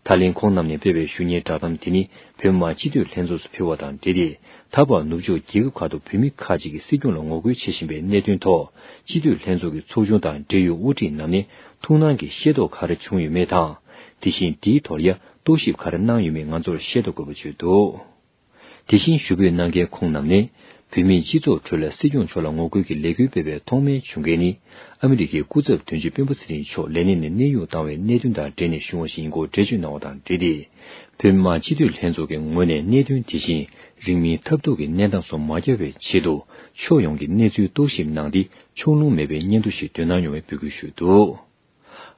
ད་ལན་ཁོང་རྣམས་ནས་སྤེལ་བའི་ཞུ་སྙན་བསྒྲགས་གཏམ་དེ་ནི། བོད་མི་མང་སྤྱི་འཐུས་ལྷན་ཚོགས་སུ་ཕུལ་བ་དང་འབྲེལ་ཏེ། ད་བར་ནུབ་ཕྱོགས་རྒྱལ་ཁབ་ཁག་ཏུ་བོད་མི་ཁག་ཅིག་གིས་སྲིད་སྐྱོང་ལ་ངོ་རྒོལ་བྱེད་བཞིན་པའི་གནད་དོན་ཐོག། སྤྱི་འཐུས་ལྷན་ཚོགས་ཀྱི་ཚོགས་ཆུང་དང་འབྲེལ་ཡོད་དབུ་ཁྲིད་རྣམས་ནས་ཐུགས་སྣང་གིས་ཤེས་རྟོགས་ག་རེ་བྱུང་ཡོད་མེད་དང་། དེ་བཞིན་དེའི་ཐོག་ཡང་རྟོག་ཞིབ་ག་རེ་གནང་ཡོད་མེད་ང་ཚོར་ཤེས་རྟོགས་དགོས་པ་བརྗོད་འདུག། དེ་བཞིན་ཞུ་འབོད་གནང་མཁན་ཁོང་རྣམས་ནས། བོད་མིའི་སྤྱི་ཚོགས་ཁྲོད་ལ་སྲིད་སྐྱོང་མཆོག་ལ་ངོ་རྒོལ་གྱི་ལས་འགུལ་སྤེལ་བའི་ཐོག་མའི་བྱུང་རྐྱེན་ནི། ཨ་མི་རི་ཀའི་སྐུ་ཚབ་དོན་གཅོད་སྤེན་པ་ཚེ་རིང་མཆོག་ལས་གནས་ནས་གནས་དབྱུང་བཏང་བའི་གནད་དོན་དང་འབྲེལ་ནས་བྱུང་བ་ཞིག་ཡིན་སྐོར་འགྲེལ་བརྗོད་གནང་བ་དང་འབྲེལ་ཏེ། བོད་མི་མང་སྤྱི་འཐུས་ལྷན་ཚོགས་ཀྱི་ངོས་ནས་གནད་དོན་དེ་བཞིན་རིང་མིན་ཐབས་སྡུག་གི་གནས་སྟངས་སུ་མ་བསྐྱལ་བའི་ཆེད་དུ། ཕྱོགས་ཡོངས་ཀྱི་གནས་ཚུལ་རྟོག་ཞིབ་གནང་སྟེ། ཕྱོགས་ལྷུང་མེད་པའི་སྙན་ཐོ་ཞིག་འདོན་གནང་ཡོང་བའི་འབོད་སྐུལ་ཞུས་འདུག།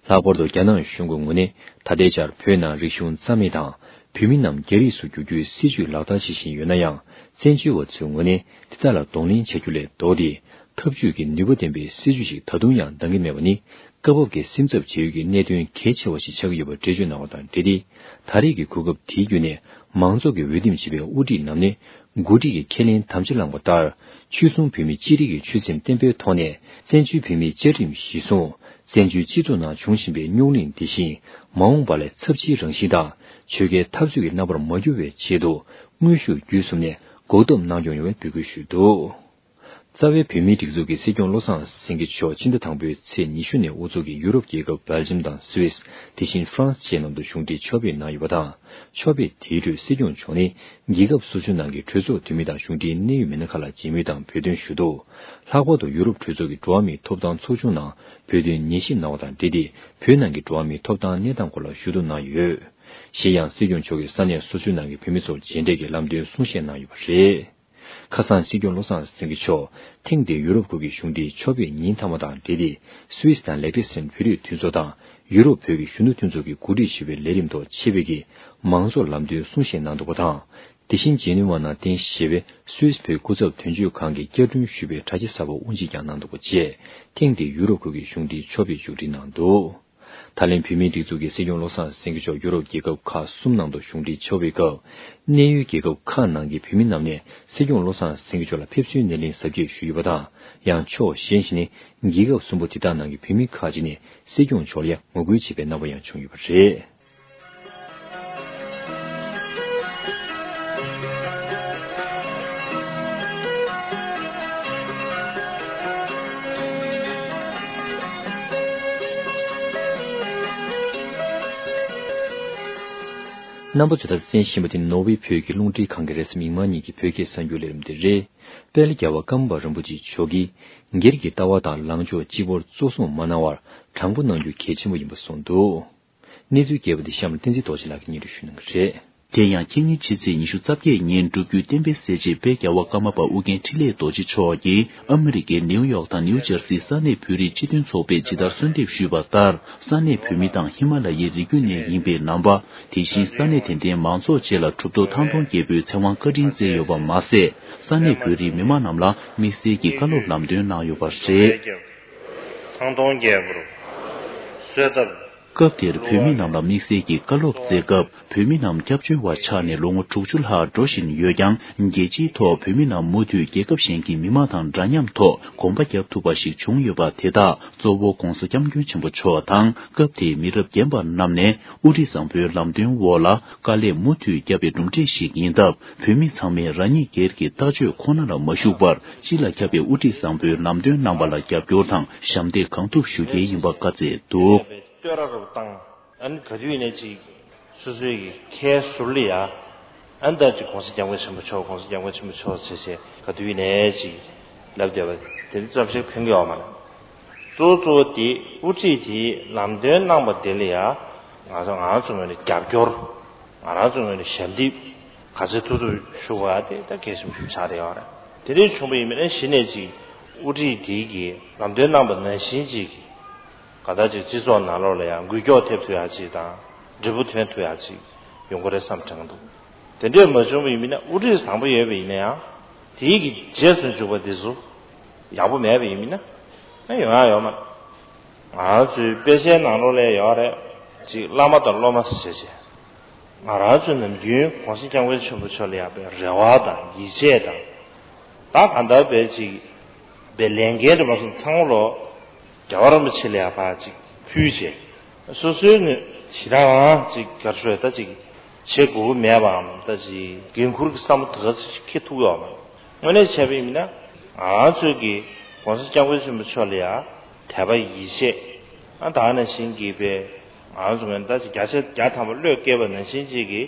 ལྷག་པར་དུ་རྒྱ་ནག་གཞུང་གི་ངོས་ནས་ད་ལྟའི་ཆར་བོད་ནང་རིག་གཞུང་རྩ་མེད་དང་། བོད་མི་རྣམས་རྒྱ་རིགས་སུ་བསྒྱུར་རྒྱུའི་སྲིད་བྱུས་ལག་བསྟར་བྱེད་བཞིན་ཡོད་ན་ཡང་། བཙན་བྱོལ་བ་ཚོའི་ངོས་ནས་དེ་དག་ལ་གདོང་ལེན་བྱ་རྒྱུ་ལས་ལྡོག་སྟེ། འཐབ་ཇུས་ཀྱི་ནུས་པ་ལྡན་པའི་སྲིད་བྱུས་ཤིག་ད་དུང་ཡང་འདང་གི་མེད་པ་ནི། སྐབས་བབ་ཀྱི་སེམས་འཚབ་བྱེད་ཡུལ་གྱི་གནད་དོན་གལ་ཆེ་བ་ཞིག་ཆགས་ཀྱི་ཡོད་པ་འགྲེལ་བརྗོད་གནང་བ་དང་འབྲེལ་ཏེ། ད་རེས་ཀྱི་གོ་སྐབས་དེའི་བརྒྱུད་ནས་མང་ཚོགས་ཀྱིས་འོས་འདེམས་བྱས་པའི་དབུ་ཁྲིད་རྣམས་ནི། འགོ་ཁྲིད་ཀྱི་ཁས་ལེན་དམ་བཅའ་བླངས་པ་ལྟར། ཆོལ་གསུམ་བོད་མི་སྤྱི་རིགས་ཀྱི་ཆོད་སེམས་བརྟན་པོའི་ཐོག་ནས། བཙན་བྱོལ་བོད་མིའི་བཅའ་ཁྲིམས་གཞིར་བཟུང་། བཙན་བྱོལ་སྤྱི་ཚོགས་ནང་བྱུང་བཞིན་པའི་རྙོག་གླེང་འདི་བཞིན། མ་འོངས་པ་ལ་ཚབས་ཆེའི་རང་བཞིན་དང་། ཆོལ་ཁའི་འཐབ་རྩོད་ཀྱི་རྣམ་པར་མ་གྱུར་བའི་ཆེད་དུ། དངོས་ཤུགས་བརྒྱུད་གསུམ་ནས་འགོག་ཐབས་གནང་སྐྱོང་ཡོང་བའི་འབོད་སྐུལ་ཞུས་འདུག། རྩ་བའི་བོད་མིའི་སྒྲིག་འཛུགས་ཀྱི་སྲིད་སྐྱོང་བློ་བཟང་སེང་གེ་མཆོག་ཕྱི་ཟླ་དང་པོའི་ཚེས་ཉི་ཤུ་ནས་དབུ་ཚོགས་ཀྱིས་ཡུ་རོབ་རྒྱལ་ཁབ་སྦེལ་ཇམ་དང་སུད་སི། དེ་བཞིན་ཧྥ་རན་སི་བཅས་ནང་དུ་གཞུང་འབྲེལ་ཕྱག་ཕེབས་གནང་ཡོད་པ་དང་། ཕྱག་ཕེབས་དེའི་ཁྲོད་སྲིད་སྐྱོང་མཆོག་ནི། རྒྱལ་ཁབ་སོ་སོའི་ནང་གི་གྲོས་ཚོགས་འཐུས་མི་དང་གཞུང་འབྲེལ་གནད་ཡོད་མི་སྣ་ཁག་ལ་མཇལ་མོལ་དང་བོད་དོན་ཞུ་གཏུག། ལྷག་པར་དུ་ཡུ་རོབ་གྲོས་ཚོགས་ཀྱི་འགྲོ་བ་མིའི་ཐོབ་ཐང་ཚོགས་ཆུང་ནང་བོད་དོན་ཉན་ཞིབ་གནང་བ་དང་འབྲེལ་ཏེ། བོད་ནང་གི་འགྲོ་བ་མིའི་ཐོབ་ཐང་གནས་སྟངས་སྐོར་ལ་ཞུ་གཏུག་གནང་ཡོད། གཞན་ཡང་སྲིད་སྐྱོང་མཆོག་གིས་ས་གནས་སོ་སོའི་ནང་གི་བོད་མི་ཚོར་མཇལ་འཕྲད་ཀྱིས་ལམ་སྟོན་གསུང་བཤད་གནང་ཡོད་པ་རེད། ཁ་སང་སྲིད་སྐྱོང་བློ་བཟང་སེང་གེ་མཆོག་ཐེངས་འདིའི་ཡུ་རོབ་ཁུལ་གྱི་གཞུང་འབྲེལ་ཕྱག་ཕེབས་ཉིན་མཐའ་མ་དང་འབྲེལ་ཏེ། སུད་སི་དང་ལེག་ཊེ་སན་བོད་རིགས་མཐུན་ཚོགས་དང་ཡུ་རོབ་བོད་ཀྱི་གཞོན་ནུ་མཐུན་ཚོགས་ཀྱིས་གོ་སྒྲིག་ཞུས་པའི་ལས་རིམ་ཐོག་ཆེད་ཕེབས་ཀྱིས་མང་ཚོགས་ལམ་སྟོན་གསུང་བཤད་གནང་འདུག་པ་དང་། དེ་བཞིན་ཇེ་ནུ་ཝ་ནང་རྟེན་གཞི་བྱས་པའི་སུད་སི་བོད་སྐུ་ཚབ་དོན་གཅོད་ཁང་གིས་བསྐྱར་སྐྲུན་ཞུས་པའི་དྲ་རྒྱ་གསར་པ་དབུ་འབྱེད་ཀྱང་གནང་འདུག་པ་བཅས། ཐེངས་འདིའི་ཡུ་རོབ་ཁུལ་གྱི་གཞུང་འབྲེལ་ཕྱག་ཕེབས་མཇུག་སྒྲིལ་གནང་འདུག། ད་ལན་བོད་མིའི་སྒྲིག་འཛུགས་ཀྱི་སྲིད་སྐྱོང་བློ་བཟང་སེང་གེ་མཆོག་ཡུ་རོབ་རྒྱལ་ཁབ་ཁག་གསུམ་ནང་དུ་གཞུང་འབྲེལ་ཕྱག་ཕེབས་སྐབས། གནད་ཡོད་རྒྱལ་ཁབ་ཁག་ནང་གི་བོད་མི་རྣམས་ནས་སྲིད་སྐྱོང་བློ་བཟང་སེང་གེ་མཆོག་ལ་ཕེབས་བསུའི་སྣེ་ལེན་གཟབ་རྒྱས་ཞུས་ཡོད་པ་དང་། ཡང་ཕྱོགས་གཞན་ཞིག་ནས་རྒྱལ་ཁབ་གསུམ་པོ་དེ་དག་ནང་གི་བོད་མི་ཁག་ཅིག་ནས་སྲིད་སྐྱོང་མཆོག་ལ་ཡང་ངོ་རྒོལ་བྱས་པའི་རྣམ་པ་ཡང་བྱུང་ཡོད་པ་རེད། རྣམ་པ་ཚོས་ད་ལྟ་གསན་བཞིན་པ་དེ་ནོར་ཝེ་བོད་ཀྱི་རླུང་འཕྲིན་ཁང་གི་རེས་གཟའ་མིག་དམར་ཉིན་གྱི་བོད་སྐད་གསར་འགྱུར་ལས་རིམ་དེ་རེད། དཔལ་རྒྱལ་བ་ཀརྨ་པ་རིན་པོ་ཆེ་མཆོག་གིས་སྒེར་གྱི་ལྟ་བ་དང་ལངས་ཕྱོགས་གཅིག་པོར་གཙོ་བཟུང་མ་གནང་བར་དྲང་པོ་གནང་རྒྱུ་གལ་ཆེན་པོ་ཡིན་པ་གསུངས་འདུག། གནས་ཚུལ་རྒྱས་པ་དེ་གཤམ་ལ་བསྟན་འཛིན་རྡོ་རྗེ་ལགས་ཀྱིས་སྙན་སྒྲོན་ཞུ་གནང་གི་རེད། དེ་ཡང་ཁ་ཉིན་ཕྱི་ཚེས་ཉི་ཤུ་རྩ་བརྒྱད་ཉིན་སྒྲུབ་བརྒྱུད་བསྟན་པའི་གསལ་བྱེད་དཔལ་རྒྱལ་བ་ཀརྨ་པ་ཨོ་རྒྱན་འཕྲིན་ལས་རྡོ་རྗེ་མཆོག་གིས་ཨ་མི་རི་ཀའི་ནེའུ་ཡོག་དང་ནེའུ་ཇར་སིའི་ས་གནས་བོད་རིགས་སྤྱི་མཐུན་ཚོགས་པས་ཇི་ལྟར་གསོལ་འདེབས་ཞུས་པ་ལྟར། ས་གནས་བོད་མི་དང་ཧི་མ་ལ་ཡའི་རི་རྒྱུད་ནས་ཡིན་པའི་ནང་པ། དེ་བཞིན་ས་གནས་དེ་འདྲའི་མང་ཚོགས་བཅས་ལ་གྲུབ་ཐོབ་ཐང་སྟོང་རྒྱལ་པོའི་ཚེ་དབང་བཀའ་དྲིན་བསྩལ་ཡོད་པ་མ་ཟད། ས་གནས་བོད་རིགས་མི་མང་རྣམས་ལ་དམིགས་བསལ་གྱི་བཀའ་སློབ་ལམ་སྟོན་གནང་ཡོད་པ་རེད། ཐང་སྟོང་རྒྱལ་པོར་གསོལ་བཏབ། སྐབས་དེར་བོད་མི་རྣམས་ལ་དམིགས་བསལ་གྱི་བཀའ་སློབ་སྩལ་སྐབས། བོད་མི་རྣམས་སྐྱབས་བཅོལ་བ་ཆགས་ནས་ལོ་ངོ་དྲུག་ཅུ་ལྷག་འགྲོ་བཞིན་ཡོད་ཀྱང་། རྒྱལ་སྤྱིའི་ཐོག་བོད་མི་རྣམས་མུ་མཐུད་རྒྱལ་ཁབ་གཞན་གྱི་མི་མང་དང་འདྲ་མཉམ་ཐོག་གོམ་པ་རྒྱབ་ཐུབ་པ་ཞིག་བྱུང་ཡོད་པ་དེ་དག་གཙོ་བོ་༧གོང་ས་༧སྐྱབས་མགོན་ཆེན་པོ་མཆོག་དང་། སྐབས་དེའི་མི་རབས་རྒན་པ་རྣམས་ནས་དབུ་ཁྲིད་བཟང་པོའི་ལམ་སྟོན་འོག་ལ་དཀའ་ལས་མུ་མཐུད་བརྒྱབ་པའི་གྲུབ་འབྲས་ཤིག་ཡིན་སྟབས། བོད་མི་ཚང་མས་རང་ཉིད་སྒེར་གྱི་ལྟ་སྤྱོད་ཁོ་ན་ལ་མ་ཞུགས་པར། སྤྱི་ལ་ཁྱབ་པའི་དབུ་ཁྲིད་བཟང་པོའི་ལམ་སྟོན་གནང་པ་ལ་རྒྱབ་སྐྱོར་དང་ཞབས་འདེགས་གང་ཐུབ་ཞུ་གལ་ཡིན་པ་བཀའ་སྩལ་འདུག། བསྟོད་ར་རུ་བཏང་། ཨ་ནི་ག་དུས་ནས་ཅིག་སོ་སོའི་གི་ཁའི་ཟུར་ལ་ཡ། ཨ་ནི་ད་ཅིག་༧གོང་ས་༧སྐྱབས་མགོན་ཆེན་པོ་མཆོག་༧གོང་ས་༧སྐྱབས་མགོན་ཆེན་པོ་མཆོག་ཟེར་བྱས་ག་དུས་ནས་ཅིག་ལབ་བསྡད་པ་དེ་ནི་ཙམ་ཞིག་ཕན་གི་ཡོད་མ་རེད། གཙོ་བོ་གཙོ་བོ་དེ་དབུ་ཁྲིད་དེ་ལམ་སྟོན་གནང་པ་དེ་ལ་ཡ། ང་ཚོ་ང་ཚོ་ངོས་ནས་རྒྱབ་སྐྱོར། ང་རང་ཚོ་ངོས་ནས་ཞབས་འདེགས་ག་ཚོད་ཐུབ་ཐུབ་ཞུ་དགོས་ཡ་དེ་ད་གལ་ཆེན་པོ་ཞིག་ཆགས་བསྡད་ཡོད་རེད། དེ་འདྲ་བྱུང་བ་ཡིན་ན་གཞི་ནས་ཅིག་དབུ་ཁྲིད་དེ་གིས་ལམ་སྟོན་གནང་པ་ནང་བཞིན་ཅིག་ག་ད་ཅིག་སྤྱི་ཚོགས་ནང་ལོགས་ལ་ཡང་འགུལ་སྐྱོད་ཐེབས་ཐུབ་ཡ་ཅིག་དང་འབྲས་བུ་ཐོན་ཐུབ་ཡ་ཅིག་ཡོང་གི་རེད་བསམ་དྲན་གྱི་འདུག། དེ་འདྲ་མ་བྱུང་བ་ཡིན་ན་དབུ་ཁྲིད་བཟང་པོ་ཡོད་པ་ཡིན་ན་ཡང་དེའི་གི་རྗེས་སུ་འཇུག་པ་དེ་ཚོ་ཡག་པོ་མེད་པ་ཡིན་ན་ཡོང་ཡ་ཡོད་མ་རེད། ང་རང་ཚོའི་དཔེ་ཆའི་ནང་ལོགས་ལ་ཡོད་རེད། ཅིག་བླ་མ་དང་སློབ་མ་ཟེར་བྱས། ང་རང་ཚོ་ནམ་རྒྱུན་༧གོང་ས་༧སྐྱབས་མགོན་ཆེན་པོ་མཆོག་ལ་ཡག་པའི་རེ་བ་དང་ཡིད་ཆེས་དང་། ད་གང་ལྟར་བས་ཅིག་པའི་ལས་འགན་རེ་མ་སོང་ཚང་མ་ལོ་རྒྱལ་བ་རིན་པོ་ཆེ་ལ་ཡག་པ་ཅིག་ཕུལ་བྱས། སོ་སོའི་ངོས་ཞེ་དྲག་ཅིག་ག་རེ་ཞུ་ད་ཅིག་བྱེད་དགོས་ཀྱི་མེད་པའམ་ད་ཅིག་འགན་འཁུར་གྱི་བསམ་བློ་དེ་ག་ཚོད་ཅིག་འཁྱེར་ཐུབ་ཡོད་མ་རེད། དངོས་གནས་བྱས་པ་ཡིན་ན་ང་རང་ཚོའི་གི་༧གོང་ས་༧སྐྱབས་མགོན་ཆེན་པོ་མཆོག་ལ་ཡ་དད་པ་ཡིད་ཆེས། ཨ་ད་ག་ནང་བཞིན་གྱི་པའི་ང་རང་ཚོ་ངོས་ནས་ད་ཅིག་བརྒྱ་ཆ་བརྒྱ་ཐམ་པ་བློས་བཀལ་བ་ནང་བཞིན་ཅིག་གི་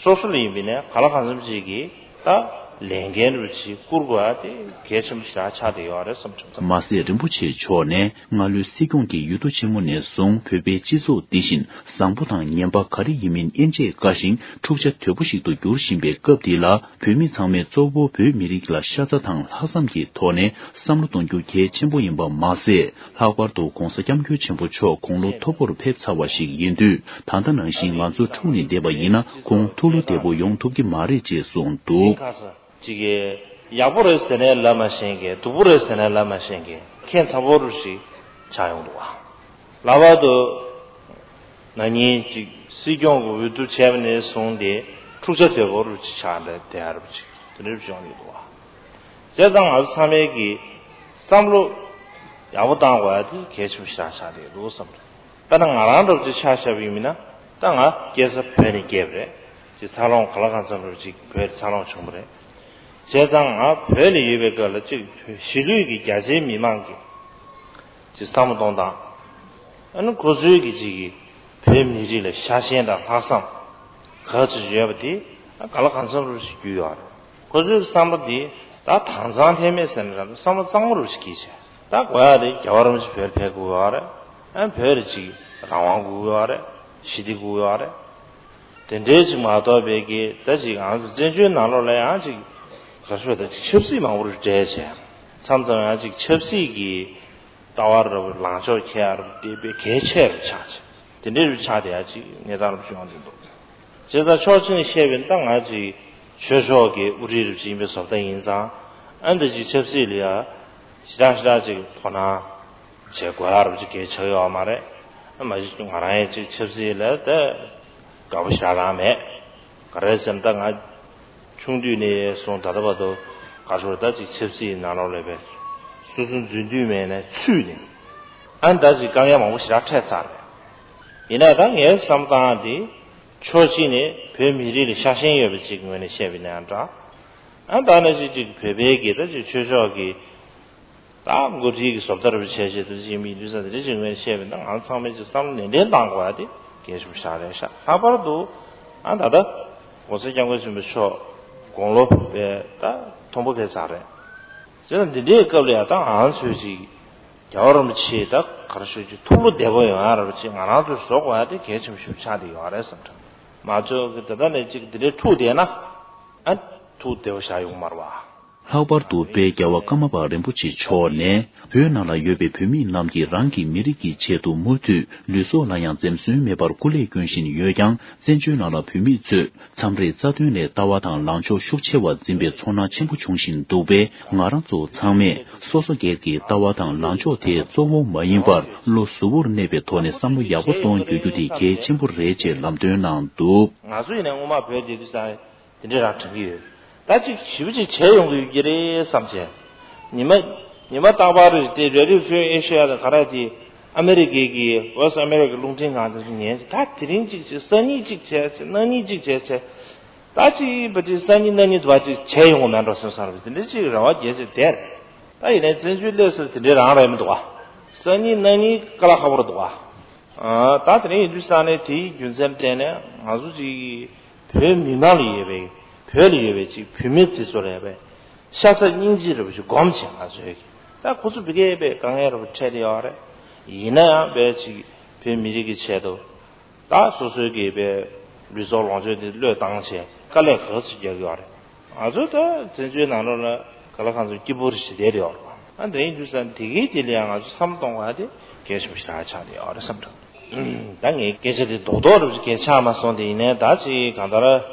སོ་སོ་ལ་ཡིན་པ་ཡིན་ན་གང་ལ་གང་འཚམ་ཅིག་གི་ད་ལས་འགན་རུ་ཅིག་བསྐུར་དགོས་ཡ་དེ་གལ་ཆེན་པོ་ཞེ་དྲག་ཆགས་བསྡད་ཡོད་རེད་བསམ་བྱུང་། མ་ཟད་རིན་པོ་ཆེ་མཆོག་ནས་སྔ་ལོའི་སྲིད་སྐྱོང་གི་ཡུལ་དུ་ཆེན་མོ་ནས་བཟུང་བོད་པའི་སྤྱི་ཚོགས་འདི་བཞིན་བཟང་པོ་དང་ངན་པ་ག་རེ་ཡིན་མིན་དབྱེ་འབྱེད་དཀའ་ཞིང་འཁྲུག་ཆ་དོད་པོ་ཞིག་ཏུ་འགྱུར་བཞིན་པའི་སྐབས་འདི་ལ། བོད་མི་ཚང་མས་གཙོ་བོ་བོད་མི་རིགས་ལ་ཤ་ཚ་དང་ལྷག་བསམ་གྱི་ཐོག་ནས་བསམ་བློ་གཏོང་རྒྱུ་གལ་ཆེན་པོ་ཡིན་པ་མ་ཟད། ལྷག་པར་དུ་༧གོང་ས་༧སྐྱབས་མགོན་ཆེན་པོ་མཆོག་དགུང་ལོ་མཐོ་པོར་ཕེབས་ཚར་བ་ཞིག་ཡིན་དུས། ད་ལྟ་ནང་བཞིན་ང་ཚོ་འཁྲུག་ནས་བསྡད་པ་ཡིན་ན་ཁོང་ཐུགས་བློ་བདེ་པོ་ཡོང་ཐུབ་ཀྱི་མ་རེད་ཅེས་གསུངས་འདུག། ཅིག་གིས་ཡག་པོ་རེད་ཟེར་ནའི་ལབ་མ་ཤེས་མཁན། སྡུག་པོ་རེད་ཟེར་ནའི་ལབ་མ་ཤེས་མཁན་ཁྱད་མཚར་པོ་རུ་ཞིག་ཆགས་ཡོང་འདུག་བ། ལྷག་པར་དུ་ན་ནིང་ཅིག་སྲིད་སྐྱོང་གི་འོས་བསྡུ་བྱས་པ་ནས་བཟུང་སྟེ་འཁྲུག་ཆ་དོད་པོ་རུ་ཅིག་ཆགས་འདྲ་དེ་ཨ་རུ་ཅིག་དེ་འདྲ་བྱུང་ཡོད་འདུག་བ། བྱས་ཙང་ང་ཚོ་ཚང་མས་ཀྱི་བསམ་བློ་ཡག་པོ་བཏང་དགོས་ཡ་དེ་གལ་ཆེན་པོ་ཞིག་ཆགས་བསྡད་འདུག་བསམ་རེད། དཔེར་ན་ང་རང་འདྲ་བོ་ཅིག་ཆ་བཞག་པ་ཡིན་ན། ད་ང་སྐྱེས་ས་བོད་ནས་སྐྱེས་པ་རེད། ཅིག་འཚར་ལོངས་ག་ལ་གང་འཚམ་འདྲ་བོ་ཅིག་བོད་འཚར་ལོངས་བྱུང་བ་རེད། བྱས་ཙང་ང་བོད་ལ་ཡོད་པའི་སྐབས་ལ་ཅིག་གཞིས་ལུས་ཀྱི་རྒྱ་ཆེའི་མི་མང་གི་ཅིག་བསམ་བློ་གཏོང་སྟངས། ཨ་ནི་ཁོ་ཚོའི་གི་ཅིག་གི་བོད་མི་རིགས་ལ་ཤ་ཞེན་དང་ལྷག་བསམ་ག་ཚོད་ཡོད་པ་དེ་ག་ལ་གང་འཚམ་རུ་ཞིག་རྒྱུས་ཡོད་རེད། ཁོ་ཚོའི་བསམ་པ་དེ་ད་དྭངས་གཙང་ལྷད་མེད་ཟེར་ན་ར་བསམ་བློ་གཙང་མ་རུ་ཞིག་གིས་བྱས། ད་དགོས་ཡ་དེ་རྒྱལ་བ་རིན་པོ་ཆེ་བོད་ཕེབས་དགོས་ཡོད་རེད། ཨ་ནི་བོད་ལ་ཅིག་རང་དབང་དགོས་ཡོད་རེད། ཞི་བདེ་དགོས་ཡོད་རེད། དེ་འདྲའི་ཅིག་མ་གཏོགས་པའི་གི་ད་ཅིག་ང་ཚོ་བཙན་བྱོལ་ནང་ལོགས་ལ་ཡང་ཅིག་ག་རེ་ཞུ་ད་ཅིག་ཆབ་སྲིད་མང་པོ་རུ་འདྲེས་བྱས། མཚམས་མཚམས་ཡང་ཅིག་ཆབ་སྲིད་ཀྱི་ལྟ་བ་ར་བུ་ལངས་ཕྱོགས་ཁྱེར་རུ་དེ་དཔེ་གལ་ཆེ་རུ་ཆགས་བྱས། དེ་འདྲའི་རུ་ཆགས་དེ་ཡང་ཅིག་གནས་སྟངས་རུ་བྱུང་བ་འདི་འདུག་བྱས་ཙང་ཕྱོགས་གཅིག་ནས་བཤད་པ་ཡིན་ན་ད་ང་ཅིག་ཆོས་ཕྱོགས་ཀྱི་དབུ་ཁྲིད་རུ་ཅིག་ཡིན་པའི་བཟོ་ལྟ་ཡིན་ཙང་། ཨ་འདི་ཅིག་ཆབ་སྲིད་ལ་ཡ་ཞེ་དྲག་ཞེ་དྲག་ཅིག་དོ་སྣང་བྱེད་དགོས་ཡ་རུ་ཅིག་གལ་ཆགས་ཡོད་མ་རེད། ཨ་མ་གཞི་ང་རང་ཡང་ཅིག་ཆབ་སྲིད་ལ་ད་དགའ་པོ་ཞེ་དྲག་མེད། ག་རེ་ཟེར་ན་ད་ང་ཆུང་དུས་ནས་བཟུང་ད་ལྟ་བར་དུ་ག་ཚོད་ད་ཅིག་ཆབ་སྲིད་ནང་ལོགས་ལ་བས་སོ་སོ་འཛུལ་དུས་མེད་ནས་ཚུད་ནས་ཨ་ད་ཅིག་དཀའ་ངལ་མང་པོ་ཞེ་དྲག་འཕྲད་ཚར་རེད། ཡིན་ན་ད་ངའི་བསམ་སྟངས་དེ་ཕྱོགས་གཅིག་ནས་བོད་མི་རིགས་ལ་ཤ་ཞེན་ཡོད་པ་ཅིག་ངོས་ནས་བཤད་པ་ཡིན་ན་འདྲ། ཨ་ད་ནང་བཞིན་ཅིག་བོད་པའི་གི་ད་ཅིག་ཆོས་ཕྱོགས་ཀྱི་ད་འགོ་ཁྲིད་ཀྱི་བཟོ་ལྟ་རུ་བྱས་བྱས་དུ་ཅིག་མི་འདུས་ས་དེ་འདྲ་ཅིག་ངོས་བཤད་པ་ཡིན་ན་ང་ཚང་མས་ཅིག་བསམ་བློ་ནན་ཏན་གཏང་དགོས་ཡ་དེ་གལ་ཆེན་པོ་ཞིག་རེད་ཤག་ལྷག་པར་དུ་ཨ་ད་ལྟ་༸གོང་ས་༸སྐྱབས་མགོན་ཆེན་པོ་མཆོག་དགུང་ལོ་བས་ད་མཐོན་པོ་ཕེབས་ཚར་རེད། བྱས་ན་འདི་འདྲའི་སྐབས་ལ་ཡ་ད་ང་ཚོས་ཅིག་རྒྱལ་བ་རིན་པོ་ཆེ་ད་ག་རེ་ཞུ་ཅིག་ཐུགས་བློ་བདེ་པོ་ཡོང་ཡ་ར་བ་ཅིག་ང་རང་ཚོས་བཟོ་དགོས་ཡ་དེ་གལ་ཆེན་པོ་ཞིག་ཆགས་བསྡད་ཡོད་རེད་བསམ་དྲན། མ་ཚོད་ཀྱི་དེ་ལྟ་ནས་ཅིག་འདི་འདྲའི་འཁྲུག་བསྡད་ན་ཨ་ཐུགས་བདེ་པོ་བཞག་ཡོང་མ་རེད་བ། ལྷག་པར་དུ་དཔལ་རྒྱལ་བ་ཀརྨ་པ་རིན་པོ་ཆེ་མཆོག་ནས་བོད་ནང་ལ་ཡོད་པའི་བོད་མི་རྣམས་ཀྱིས་རང་གི་མི་རིགས་ཀྱི་ཆེད་དུ་མུ་མཐུད་ལུས་སྲོག་ལ་ཡང་འཛེམ་ཟོན་མེད་པར་སྐུ་ལས་སྐྱོན་བཞིན་ཡོད་ཀྱང་། བཙན་བྱོལ་ནང་ལ་བོད་མི་ཚོས་མཚམས་རེ་རྩ་དོན་ལས་ལྟ་བ་དང་ལངས་ཕྱོགས་ཤུགས་ཆེ་བ་འཛིན་པའི་ཚོར་སྣང་ཆེན་པོ་འབྱུང་བཞིན་འདུག་པས། ང་རང་ཚོ་ཚང་མས་སོ་སོ་སྒེར་གྱི་ལྟ་བ་དང་ལངས་ཕྱོགས་དེ་གཙོ་བོ་མ་ཡིན་པར་བློ་གཟུ་བོར་གནས་པའི་ཐོག་ནས་བསམ་བློ་ཡག་པོ་གཏོང་རྒྱུ་རྒྱུ་དེ་གལ་ཆེན་པོ་རེད་ཅེས་ལམ་སྟོན་གནང་འདུག་ང་ཚོ་ཡིན་ནའི་སྔོན་མ་བོད་དེ་དུས་ས་དེ་འདྲའི་རང་དྲན་གྱི་ཡོད། ད་ཅིག་ཞིབ་ཅིག་བྱས་ཡོང་གི་ཡོད་ཀྱི་རེད་བསམ་བྱས། ཉི་མ་ཉི་མ་རྟག་པར་རེད་དེ་རེ་ཌིའོ་ཕི་རི་ཨེ་ཤི་ཡ་དང་ག་རེ་དེ་ཨ་མེ་རི་ཀའི་གི་ཝེ་སི་ཨ་མེ་རི་ཀའི་རླུང་འཕྲིན་ཁང་དེ་ཚོ་ཉན་ཅིག་ད་དེ་རིང་ཅིག་བྱས་སང་ཉིན་ཅིག་བྱས་བྱས་གནངས་ཉིན་ཅིག་བྱས་བྱས། ད་ཅིག་བ་ཅིག་སང་ཉིན་གནངས་ཉིན་དུ་བ་ཅིག་བྱས་ཡོང་གི་མེད་འགྲོ་སེམས་བསམ་རེད། དེ་འདྲ་ཅིག་རེ་བ་རྒྱས་ཅིག་དེར་ད་ཡིན་ནའི་བཙན་བྱོལ་སླེབས་ཟེར་དེ་འདྲའི་རང་རེད་མི་འདུག་བ། སང་ཉིན་གནངས་ཉིན་དཀའ་ལས་ཁག་པོ་རེད་འདུག་བ། ཨ་ད་དེ་རིང་ཡིན་དུས་ས་ནས་དེའི་རྒྱུ་མཚན་བརྟེན་ནས་ང་ཚོ་ཅིག་བོད་མི་མང་ལ་ཡོད་པའི་བོད་ལ་ཡོད་པའི་ཅིག་བོད་མི་དེ་ཚོ་ལ་ཡོད་པའི་ཤ་ཚ་སྙིང་རྗེ་རེད་པ་ཅིག་སྒོམ་བྱས་ང་ཚོས་ཀྱི་ད་ཁོ་ཚོ་བི་ཀའི་པའི་དཀའ་ངལ་རེད་པ་འཕྲད་དེ་ཡོད་རེད། ཡིན་ན་ཡང་པའི་ཅིག་བོད་མི་རིགས་ཀྱི་ཆེད་དུ་ད་སོ་སོའི་གི་པའི་ལུས་སྲོག་ལོངས་སྤྱོད་དེ་བློས་བཏང་བྱས་དཀའ་ལས་ག་ཚོད་རྒྱག་གི་ཡོད་རེད། ང་ཚོ་ད་བཙན་བྱོལ་ནང་ལོགས་ལ་ག་ལ་གང་ཚོད་སྐྱིད་པོ་རེ་ཞིག་བསྡད་ཡོད་རེད། ཨ་འདི་ཡིན་དུས་ཙང་དེ་གའི་དེ་ལ་ཡང་ང་ཚོ་བསམ་བློ་གཏོང་དགོས་ཡ་དེ་གལ་ཆེན་པོ་ཞིག་ཆགས་བསྡད་ཡོད་རེད་བསམ་འདུག་ད་ངས་སྐད་ཆ་དེ་རྡོག་རྡོག་རེ་ཞིག་གལ་ཆགས་མ་སོང་དེ་ཡིན་ནའི་ད་ཅིག་གང་ལྟར་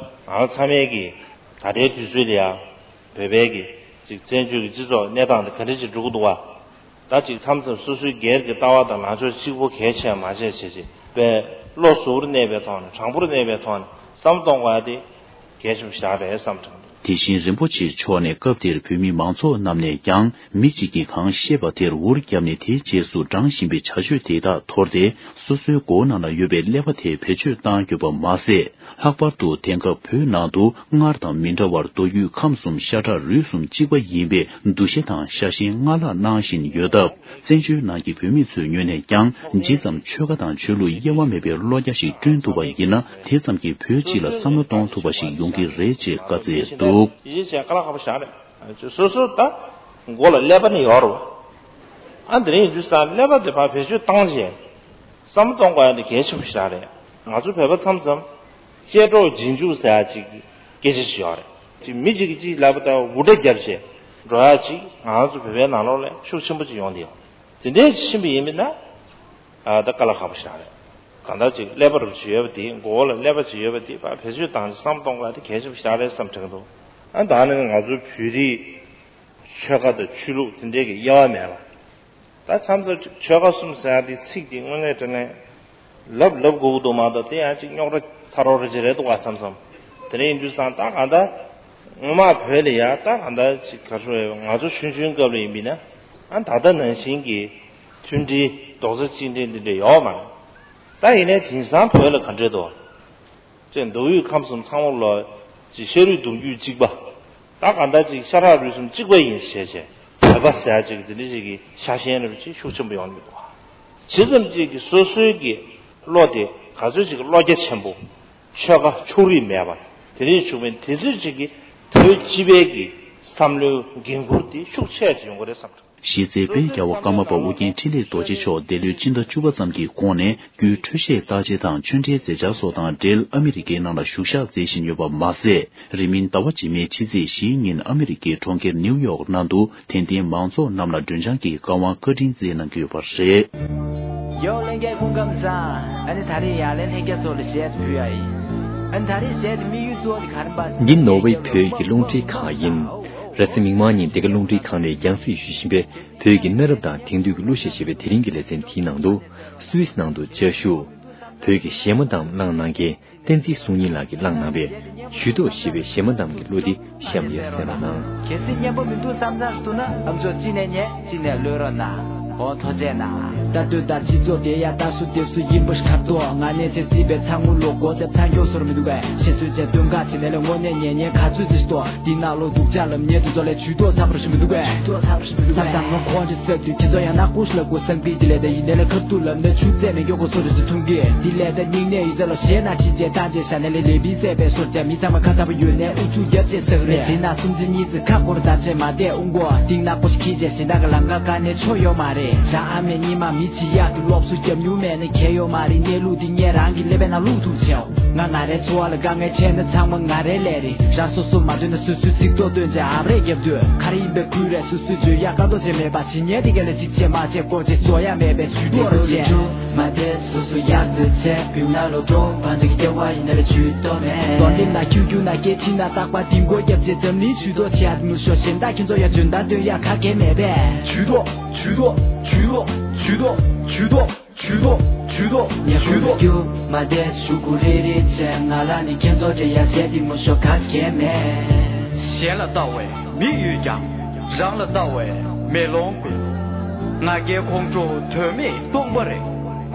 ང་ཚང་མས་ཀྱི་ད་ལྟའི་དུས་ཚོད་ལ་ཡང་བོད་པའི་གི་ཅིག་བཙན་བྱོལ་གྱི་སྤྱི་ཚོགས་གནས་སྟངས་དེ་ག་འདྲ་ཅིག་འགྲོ་གི་འདུག་བ། ད་ཅིག་མཚམས་མཚམས་སོ་སོའི་སྒེར་གྱི་ལྟ་བ་དང་ལངས་ཕྱོགས་གཅིག་པོ་གལ་ཆེ་བ་མ་བྱས་བྱས་བྱས་པའི་བློ་གཟུ་བོར་གནས་པའི་ཐོག་ནས་དྲང་པོར་གནས་པའི་ཐོག་ནས་བསམ་གཏོང་དགོས་ཡ་དེ་གལ་ཆེན་པོ་ཞིག་རེད་བསམ་དྲན་འདུག་དེ་བཞིན་རིན་པོ་ཆེ་མཆོག་ནས་སྐབས་དེར་བོད་མི་མང་ཚོགས་རྣམས་ནས་ཀྱང་མི་གཅིག་གིས་གང་བཤད་པ་དེར་འུར་བརྒྱབ་ནས་དེའི་རྗེས་སུ་འབྲང་བཞིན་པའི་བྱ་སྤྱོད་དེ་དག་འཐོར་ཏེ་སོ་སོའི་མགོ་ནང་ལ་ཡོད་པའི་ཀླད་པ་དེ་བེད་སྤྱོད་བཏང་ཡོད་པ་མ་ཟད། ལྷག་པར་དུ་དེང་སྐབས་བོད་ནང་དུ་སྔར་དང་མི་འདྲ་བར་མདོ་དབུས་ཁམས་གསུམ་ཤ་ཁྲག་རུས་གསུམ་གཅིག་པ་ཡིན་པའི་འདུ་ཤེས་དང་ཤ་ཞེན་སྔར་ལྷག་གནང་བཞིན་ཡོད་སྟབས། བཙན་བྱོལ་ནང་གི་བོད་མི་ཚོའི་ངོས་ནས་ཀྱང་ཇི་ཙམ་ཆོལ་ཁ་དང་ཆོས་ལུགས་དབྱེ་བ་མེད་པའི་བློ་རྒྱ་ཞིག་བསྐྲུན་ཐུབ་པ་ཡིན་ན། དེ་ཙམ་གྱིས་བོད་སྤྱི་ལ་བསམ་བློ་གཏོང་ཐུབ་པ་ཞིག་ཡོང་གི་རེད་ཅེས་བཀའ་སྩལ་འདུག་ཡིད་ཆེས་བྱས་དཀའ་ལས་ཁག་པོ་ཞིག་རེད། སོ་སོ་ད་མགོ་ལ་ཀླད་པ་ནི་ཡོད་རེད། ཨ་འདི་རིང་ཡིན་དུས་ཙང་ཀླད་པ་དེ་ཕར་བེད་སྤྱོད་བཏང་བྱས་བསམ་བློ་གཏོང་དགོས་ཡ་འདི་གལ་ཆེན་པོ་ཞིག་རེད། ང་ཚོ་བོད་པ་མཚམས་མཚམས་ཅལ་འདྲོགས་རྗེས་འཇུག་ཟེར་ཡ་ཅིག་སྐད་ཆ་ཞིག་ཡོད་རེད། ཅིག་མི་གཅིག་གིས་གཅིག་ལབ་པ་ལྟ་བུ་འུར་སྒྲ་བརྒྱབ་བྱས་འགྲོ་ཡ་ཅིག་ང་ཚོ་བོད་པའི་ནང་ལོགས་ལ་ཤུགས་ཆེན་པོ་ཅིག་ཡོང་བསྡད་ཡོད། དེ་འདྲའི་ཕྱིན་པ་ཡིན་པ་ན། ཨ་ད་དཀའ་ལས་ཁག་པོ་ཞིག་རེད། གང་ལྟར་ཅིག་ཀླད་པ་རུ་ཅིག་ཡོད་པ་དེ་མགོ་བོ་ལ་ཀླད་པ་ཅིག་ཡོད་པ་དེ་ཕར་བེད་སྤྱོད་བཏང་ནས་བསམ་གཏོང་དགོས་ཡ་དེ་གལ་ཆེན་པོ་ཞིག་རེད་བསམ་དྲན་གྱི་འདུག་ཨ་ད་ནི་ང་ཚོའི་བོད་རིགས་ཆོལ་ཁ་དང་ཆོས་ལུགས་དེ་འདྲའི་གི་དབྱེ་བ་མེད་པ། ད་མཚམས་མཚམས་ཆོལ་ཁ་གསུམ་ཟེར་ཡ་དེ་ཚིག་དེ་དངོས་གནས་དྲང་གནས་ལབ་ལབ་དགོས་ཀྱི་འདུག་མ་གཏོགས་དེ་ཡང་ཅིག་རྙོག་དྲ་ཚ་རོག་རེ་ཅིག་རེད་འདུག་ག་མཚམས་མཚམས། དེ་འདྲ་ཡིན་དུས་ཙང་ད་གང་ལྟར་སྔོན་མ་བོད་ལ་ཡ་ད་གང་ལྟར་ཅིག་ག་ཚོད་ང་ཚོ་ཆུང་ཆུང་སྐབས་ལ་ཡིན་པས་ན་ཨ་ད་ལྟ་ནང་བཞིན་གྱི་མཐུན་སྒྲིལ་རྡོག་རྩ་གཅིག་སྒྲིལ་འདི་འདྲ་ཡོད་མ་རེད། ད་ཡིན་ནའི་དེང་སང་བོད་ལ་ག་འདྲས་འདུག་ཅེས་མདོ་དབུས་ཁམས་གསུམ་ཚང་མ་ལ་ཅིག་ཤ་རུས་གདུང་རྒྱུད་གཅིག་པ། ད་གང་ལྟར་ཅིག་ཤ་ཁྲག་རུས་གསུམ་གཅིག་པ་ཡིན་ཞེས་བྱས་བོད་པ་ཟེར་ཅིག་དེ་འདྲ་ཞིག་གི་ཤ་ཞེན་རེ་ཅིག་ཤུགས་ཆེན་པོ་ཡོང་གི་འདུག་ཇི་ཙམ་ཅིག་གི་སོ་སོའི་གི་བློ་དེ་ག་ཚོད་ཅིག་གི་བློ་རྒྱ་ཆེན་པོ། ཆོལ་ཁ་ཕྱོགས་རིས་མེད་པ་དེ་འདྲ་བྱུང་བའི་དེ་ཚོད་ཅིག་གི་བོད་སྤྱི་པའི་གི་བསམ་བློའི་འགན་འཁུར་དེ་ཤུགས་ཆེ་ཅིག་ཡོང་གི་རེད་བསམ་འདུག་གཞི་རྩའི་བོད་རྒྱལ་བ་ཀརྨ་པ་ཨོ་རྒྱན་འཕྲིན་ལས་རྡོ་རྗེ་མཆོག་འདས་ལོའི་ཕྱི་ཟླ་བཅུ་པ་ཙམ་གྱི་གོང་ནས་རྒྱུའི་འཕྲོད་བཞེས་བརྟག་དཔྱད་དང་ཆོས་འབྲེལ་མཛད་འཆར་སོགས་དང་འབྲེལ་ཨ་མི་རི་ཀའི་ནང་ལ་བཞུགས་ཞག་མཛད་བཞིན་ཡོད་པ་མ་ཟད། རིང་མིན་ཟླ་བ་རྗེས་མའི་ཕྱི་ཚེས་བཞིའི་ཉིན་ཨ་མི་རི་ཀའི་གྲོང་ཁྱེར་ནིའུ་ཡོག་ནང་དུ་དད་ལྡན་མང་ཚོགས་རྣམས་ལ་མགྲོན་བྱང་གི་བཀའ་དབང་བཀའ་དྲིན་སྩལ་གནང་གི་ཡོད་པ་རེད། ཡོ་ལྷན་རྒྱས་སྐུ་ཁམས་བཟང་། ཨ་ནི་ད་རེས་ཡར་ལན་ལྷན་རྒྱས་ཚོ་ལ་གཞས་ཕུལ་ཡ་ཡིན། ཨ་ནི་ད་རེས་གཞས་དེ་དམིགས་ཡུལ་གཙོ་བོ་དེ་ག་རེ་འབའ་ཟེར་ན། འདི་ནོར་ཝེ་བོད་ཀྱི་རླུང་འཕྲིན་ཁང་ཡིན། རེས་གཟའ་མིག་དམར་ཉིན་འདི་ག་རླུང་འཕྲིན་ཁང་ནས་རྒྱང་སྲིང་ཞུ་བཞིན་པའི་བོད་ཀྱི་གནའ་རབས་དང་དེང་དུས་ཀྱི་གླུ་གཞས་ཞེས་པའི་དེ་རིང་གི་ལེ་ཚན་དེའི་ནང་དུ་སུད་སི་ནང་དུ་བཅའ་བཞུགས། བོད་ཀྱི་གཞས་མ་གཏམ་བླངས་གནང་མཁན་བསྟན་འཛིན་གསུང་སྙིང་ལགས་ཀྱིས་བླངས་གནང་བའི་ཇུས་གཏོགས་ཞེས་པའི་གཞས་མ་གཏམ་གྱི་གླུ་འདི་གཤམ་ཡར་གསན་རོགས་གནང་། གལ་སྲིད་སྙན་པོ་མི་འདུག་བསམ་ཚར་ཐུག་ན་ཨམ་ཅོག་གཅིག་ནས་ཉན་གཅིག་ནས་གློད་རོགས་གནང་། འོ་ཐུགས་རྗེ་གནང་། ད་ལྟོས་ད་སྤྱི་ཚོགས་དེ་ཡ་ད་སུ་དེ་སུ་ཡིན་པ་ཞིག་ཁ་ཏོ་ང་གནས་ཆེ་རྩིས་པའི་ཚང་ངུ་ལོ་གོ་དེབ་ཚང་མགྱོགས་སོར་མི་འདུག་གས་ཤེས་སོས་བྱས་སྟོན་ཁ་ཆེ་ནས་ལས་དངོས་གནས་ཉན་ཉན་ག་ཚོད་ཅིག་ཏོ། འདི་ནང་ལོ་སྡུག་ཅག་ལམ་ཉེ་དུ་ཚོ་ལས་ཇུས་གཏོགས་ཚགས་པར་ཞུ་མི་འདུག་གས། ཇུས་གཏོགས་ཚགས་པར་ཞུ་མི་འདུག་གས། མཚམས་མཚམས་ངོ་ཁོང་ཅི་ཟེར་དུས་ཁྱེད་ཚོ་ཡང་ན་ཀུ་ཤ་ལ་ཀུ་སང་པི་དེ་ལས་ད་ཡིན་ནས་ལས་ཁ་ཐུག་ལབ་ནས་ཆུ་ཚད་མེད་མགྱོགས་གོ་སོ་རེ་སི་ཐུང་གི་དེ་ལས་ད་སྙིང་ནས་ཡོད་ཚད་ལོ་ཞེ་ན་ཕྱི་རྗེས་ད་རྗེས་ཤ་ནས་ལས་ལས་བི་ཟས་པའི་སོར་བྱ་མི་ཚང་མ་ཁ་ཚ་པོ་ཡོད་ནས་ཨུ་ཚུགས་རྒྱབ་ཆེ་ཟེར་རེད། དེ་ན་སུམ་ཅུ་གཉིས་ཚེ་ཁ་སྐོར་དམ་ཆེ་མ་བལྟས་ཨུ་མགོ་གཏིང་ནག་པོ་ཞིག་ཁྱི་རྗེས་ཞེ་ད་ག་ལང་ཀ་ཀ་ནས་ཆོ་ཡོད་མ་རེད། རང་ཨ་མས་གཉིས་མ་མི་ཆི་ཡག་ཏུ་སློབ་གསོ་རྒྱབ་མྱུར་མེད་ནས་ཁྱེད་ཡོད་མ་རེད། གནས་ལུགས་འདི་ངས་རང་གི་ཀླད་པའི་ནང་བླུག་ཐུབ་ཆེའོ། ང་ང་རའི་འཚོ་བ་ལ་དཀའ་ངལ་ཆེ་ན་ཚང་མ་ང་རའི་ལས་རེད། རང་སོ་སོ་མ་འདོད་ན་སོ་སོའི་ཚིག་ཐོ་སྟོན་བྱས་ཨབ་རེད་རྒྱབ་དུས་ག་རེ་ཡིན་པའི་ཁུལ་རེད། སོ་སོའི་བརྗོད་ཡག་ཀ་རྡོ་ཆེ་མེད་པ་ཇི་སྙེད་དེ་ག་ལས་གཅིག་བྱས་མ་བྱས་ཀོ་ཅེ་བཟོ་ཡ་མེད་པའི་ཇུས་གཏོགས་རེད་བྱས། མ་དེ་སོ་སོ་ཡག་ཏུ་བྱས་བུ་ན་ལོ་གྲོང་བང་ཅིག་སྐྱེ་བ་ཡིན་ན་ལས་ཇུས་གཏོགས་མེད། དོན་དེ་ན་ཁྱུ་ཁྱུ་ན་སྐད་ཕྱིན་ན་རྟག་པ་དིང་གོ་རྒྱབ་བྱས་འཛམ་གླིང་ཇུས་གཏོགས་བྱས་ཨ་མི་ཤོ་གཞན་དག་ཁྱེད་ཚོ་ཡ་འཇོན་ད་སྟོན་ཡ་ག་གེ་མེད་པས། ཇུས་གཏོགས་ཇུས་གཏོགས་ཇུས་གཏོགས་ཇུས་གཏོགས་ཇུས་གཏོགས་ཇུས་གཏོགས་ཇུས་གཏོགས་ཇུས་གཏོགས། ཉེ་ཁུ་རྒྱུ་མ་དེ་ཞུ་གུ་རེ་རེ་བྱས་ང་ལ་ནི་ཁྱེད་ཚོ་འདྲེ་ཡ་བྱས་དེ་མོ་ཤོ་ག་གེ་མེད། གཞན་ལ་ལྟ་བས་མིག་ཡོད་ཀྱང་རང་ལ་ལྟ་བས་མེ་ལོང་དགོས། ང་རྒྱལ་ཁོང་ཁྲོ་དོན་མེད་སྟོང་པ་རེད།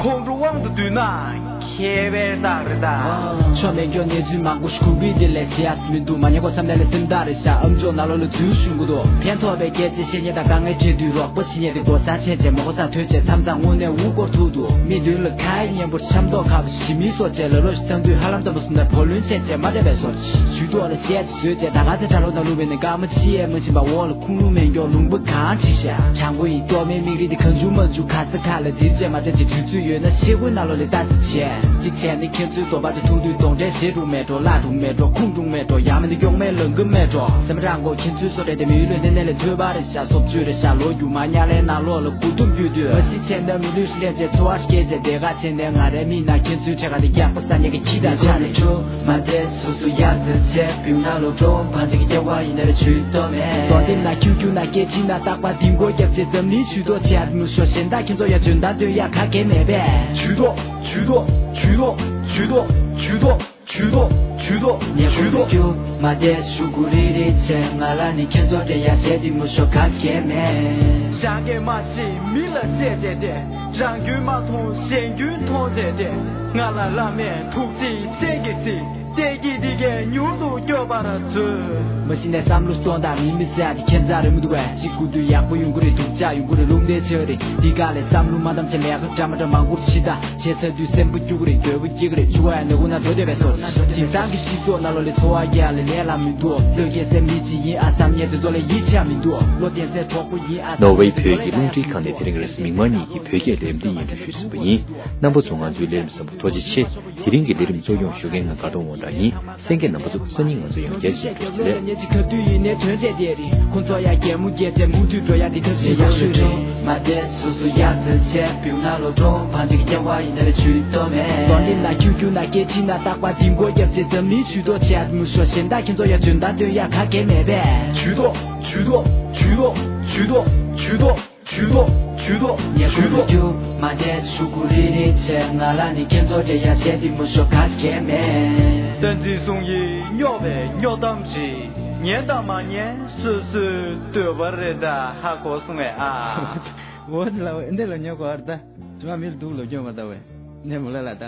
ཁོང་ཁྲོ་དབང་དུ་བསྡུས་ན་ཁྱད་པར་རྟགས་རེད་ད། ཆོ་མེད་སྐྱོ་གནས་ཚུལ་མང་པོ་ཞིག་གུ་བི་དེ་ལས་བྱེད་ཡ་མི་འདུག་མ་ཉེ་གོ་བསམ་ནས་ལས་སེམས་ཐག་རེད་ཤག་ཨམ་ཅོག་ནང་ལོགས་ལ་འཛུལ་ཞུ་གི་འདུག་ཕན་ཐོགས་པའི་སྐད་ཆ་བཤད་ཉེ་དང་དཀའ་ངལ་འཕྲད་དུས་རོགས་པ་བྱེད་ཉེ་དེ་གོ་ས་ཆད་བྱས་མ་གོ་ས་ཐོས་བྱས་མཚམས་མཚམས་དངོས་གནས་འུ་སྐོར་ཐུག་འདུག་མི་མདུན་ལ་ཁ་ཡ་སྙན་པོ་འཆམ་མདོག་ཁ་པོ་ཞི་མིའི་སོ་བྱས་ལ་ལོ་ཞིག་ཐང་དུས་ཧ་ལམ་ཙམ་པོ་སུ་ན་བོ་ལོན་ཆད་བྱས་མ་བསྡད་པའི་སོ་ཞུ་ཐོག་ལ་བཤད་བཟོས་བྱས་ད་ག་ཚེ་གྲྭ་ལོག་དང་ལུག་པའི་ནི་སྐར་མ་ཕྱི་ཡས་མ་ཕྱིན་པ་འོག་ལ་ཁུངས་ལུང་མེད་མགྱོགས་ལུང་པ་གང་བྲིས་ཤག་བྱང་པོ་ཡི་གཏོར་མའི་མིག་རིལ་དེ་གང་བྱུང་མ་བྱུང་ག་ས་ག་ལ་དེར་བྱས་མ་བྱས་ཅིག་དུས་ཚོད་ཡོད་ན་ཤེལ་སྒོའི་ནང་ལོགས་ལ་ལྟ་ཙི་བྱས་གཅིག་བྱས་ནི་ཁྱེད་ཚོའི་བཟོ་པ་དེ་ཐུག་དུས་གདོང་འདྲེ་ཞེ་དྲུག་མེད་འགྲོ་བརླག་དྲུག་མེད་འགྲོ་ཁུངས་དྲུག་མེད་འགྲོ་ཡང་མིན་ན་གཡོག་མའི་ལང་ཀི་མེད་འགྲོ་སེམས་རང་མགོ་ཁྱེད་ཚོའི་བཟོ་གྲྭ་དེ་མི་ཡུལ་ལས་གནས་གནས་ལས་ཐོས་པ་རེད་ཤག་སོབ་བཅུ་རེད་ཤག་ལོ་རྒྱུས་མ་ཉག་ལའི་ནང་ལོགས་ལ་མགོ་ཐུམ་རྒྱུད་དུས་མ་གཞི་བྱས་ན་མི་ལུས་ལེན་བྱས་འཚོ་བ་སྐྱེལ་བྱས་དེ་ག་བྱས་ནས་ང་རའི་མིག་ནང་ཁྱེད་ཚོའི་འཕྲད་ཁ་དེ་རྒྱག་པ་ས་ཉག་གི་ཁྱི་དང་ཆ་རེད། མ་དེ་སོ་སོ་ཡག་ཏུ་བྱས་བུ་ན་ལོ་གྲོང་བང་ཅིག་སྐྱེ་བ་ཡིན་ན་རེ་ཇུས་གཏོགས་མེད། དོན་དེ་ན་ཁྱུ་ཁྱུ་ན་སྐད་ཕྱིན་ན་རྟག་པ་དིང་གོ་རྒྱབ་བྱས་འཛམ་གླིང་ཇུས་གཏོགས་བྱས་མི་ཤོ་གཞན་དག་ཁྱེད་ཚོ་ཡ་འཇོན་ད་སྟོན་ཡ་ག་གེ་མེད་པས། ཇུས་གཏོགས་ཇུས་གཏོགས་ཇུས་གཏོགས་ཇུས་གཏོགས་ཇུས་གཏོགས་ཇུས་གཏོགས་ཇུས་གཏོགས་ཉེ་ཁུ་ཇུས་གཏོགས། རྒྱུ་མ་དེ་ཞུ་གུ་རེ་རེ་བྱས་ང་ལ་ནི་ཁྱེད་ཚོ་འདྲེ་ཡ་བྱས་དེ་མི་ཤོ་ག་གེ་མེད། རང་གིས་མ་ཤེས་མི་ལ་བཤད་བྱས་ཏེ། རང་རྒྱུད་མ་མཐོང་གཞན་རྒྱུད་མཐོང་བྱས་ཏེ། ང་ལ་བླ་མས་ཐུགས་རྗེའི་སྤྱན་གྱིས་གཟིགས། བདེ་སྐྱིད་འདི་གས་མྱུར་དུ་སྐྱོབ་པར་མཛོད། མ་གཞི་ནས་བསམ་བློ་གཏོང་དང་མི་མི་ཟེར་ཡ་དེ་ཁྱད་མཚར་རེད་མི་འདུག་བས། གཅིག་དགོས་དུས་ཡག་པོ་ཡོང་གི་རེད། སྡུག་ཅག་ཡོང་གི་རེད། རླུང་རྟའི་ཆ་རེད། འདི་ག་ལས་བསམ་བློ་མ་བཏང་བྱས་ལས་ཀ་འདྲ་མ་འདྲ་མང་པོར་ཕྱི་ད་བྱས་ཚར་དུས་སེམས་པ་སྐྱུག་གི་རེད། འདོད་པ་སྐྱེ་གི་རེད། འཆི་བ་ཡང་ནག་ཁུག་ན་འགྲོ་བསྡད་པའི་བཟོ། དེང་སང་གི་སྤྱི་ཚོགས་ནང་ལོགས་ལས་འཚོ་བ་རྒྱག་ལས་ལས་ལ་མི་འདུག་བློས་འགེལ་སའི་མི་གཅིག་ཡིན་ཨ་བསམ་ཉེ་དེ་ཚོ་ལ་ཡིད་ཆེས་མི་འདུག་བློ་བརྟན་སའི་གྲོགས་པོ་ཡིན་ཨ་བསམ། ནོར་ཝེ་བོད་ཀྱི་རླུང་འཕྲིན་ཁང་ནས་དེ་རིང་རེས་གཟའ་མིག་དམར་ཉིན་གྱི་བོད་སྐད་ལས་རིམ་འདི་སྙན་སྒྲོན་ཞུས་ཟིན་པ་ཡིན། རྣམ་པ་ཚོ་ང་ཚོའི་ལས་རིམ་གསན་པར་ཐུགས་རྗེ་ཆེ། དེ་རིང་གི་ལས་རིམ་གཙོ་སྐྱོང་ཞུ་མཁན་ང་དགའ་སྟོན་དབང་གྲགས་ཡིན། གསན་མཁན་རྣམ་པ་ཚོ་སང་ཉིན་ང་ཚོ་ཡང་བསྐྱར་མཇལ་ཡོང་ཟེར་ལེ། ཇུས་གཏོགས། ཇུས་གཏོགས། ཉེ་ཁུ་ཇུས་གཏོགས། རྒྱུ་མ་བསྡད་ཤུ་གུ་རི་རི་ཆེ། ང་ལ་ནི་སྐྱེ་ཚོ་དེ་ཡ་བྱེད་དེ་མུ་ཤོ་ག་གེ་མེ། བསྟན་འཛིན་ཟུང་ཡིས་སྨྱོ་བའི་སྨྱོ་གཏམ་ཞིག་ཉན་དང་མ་ཉན་སོ་སོའི་འདོད་པ་རེད་ད། ཧ་གོ་སོང་ངས་ཨ། འོ་ལ་འོ་འདི་ལ་ཉོ་གོ་ཨར་ད། ཇོ་མིལ་དུག་ལོ་སྐྱོན་མ་ད་བས། ནས་མོ་ལ་ལ་ད།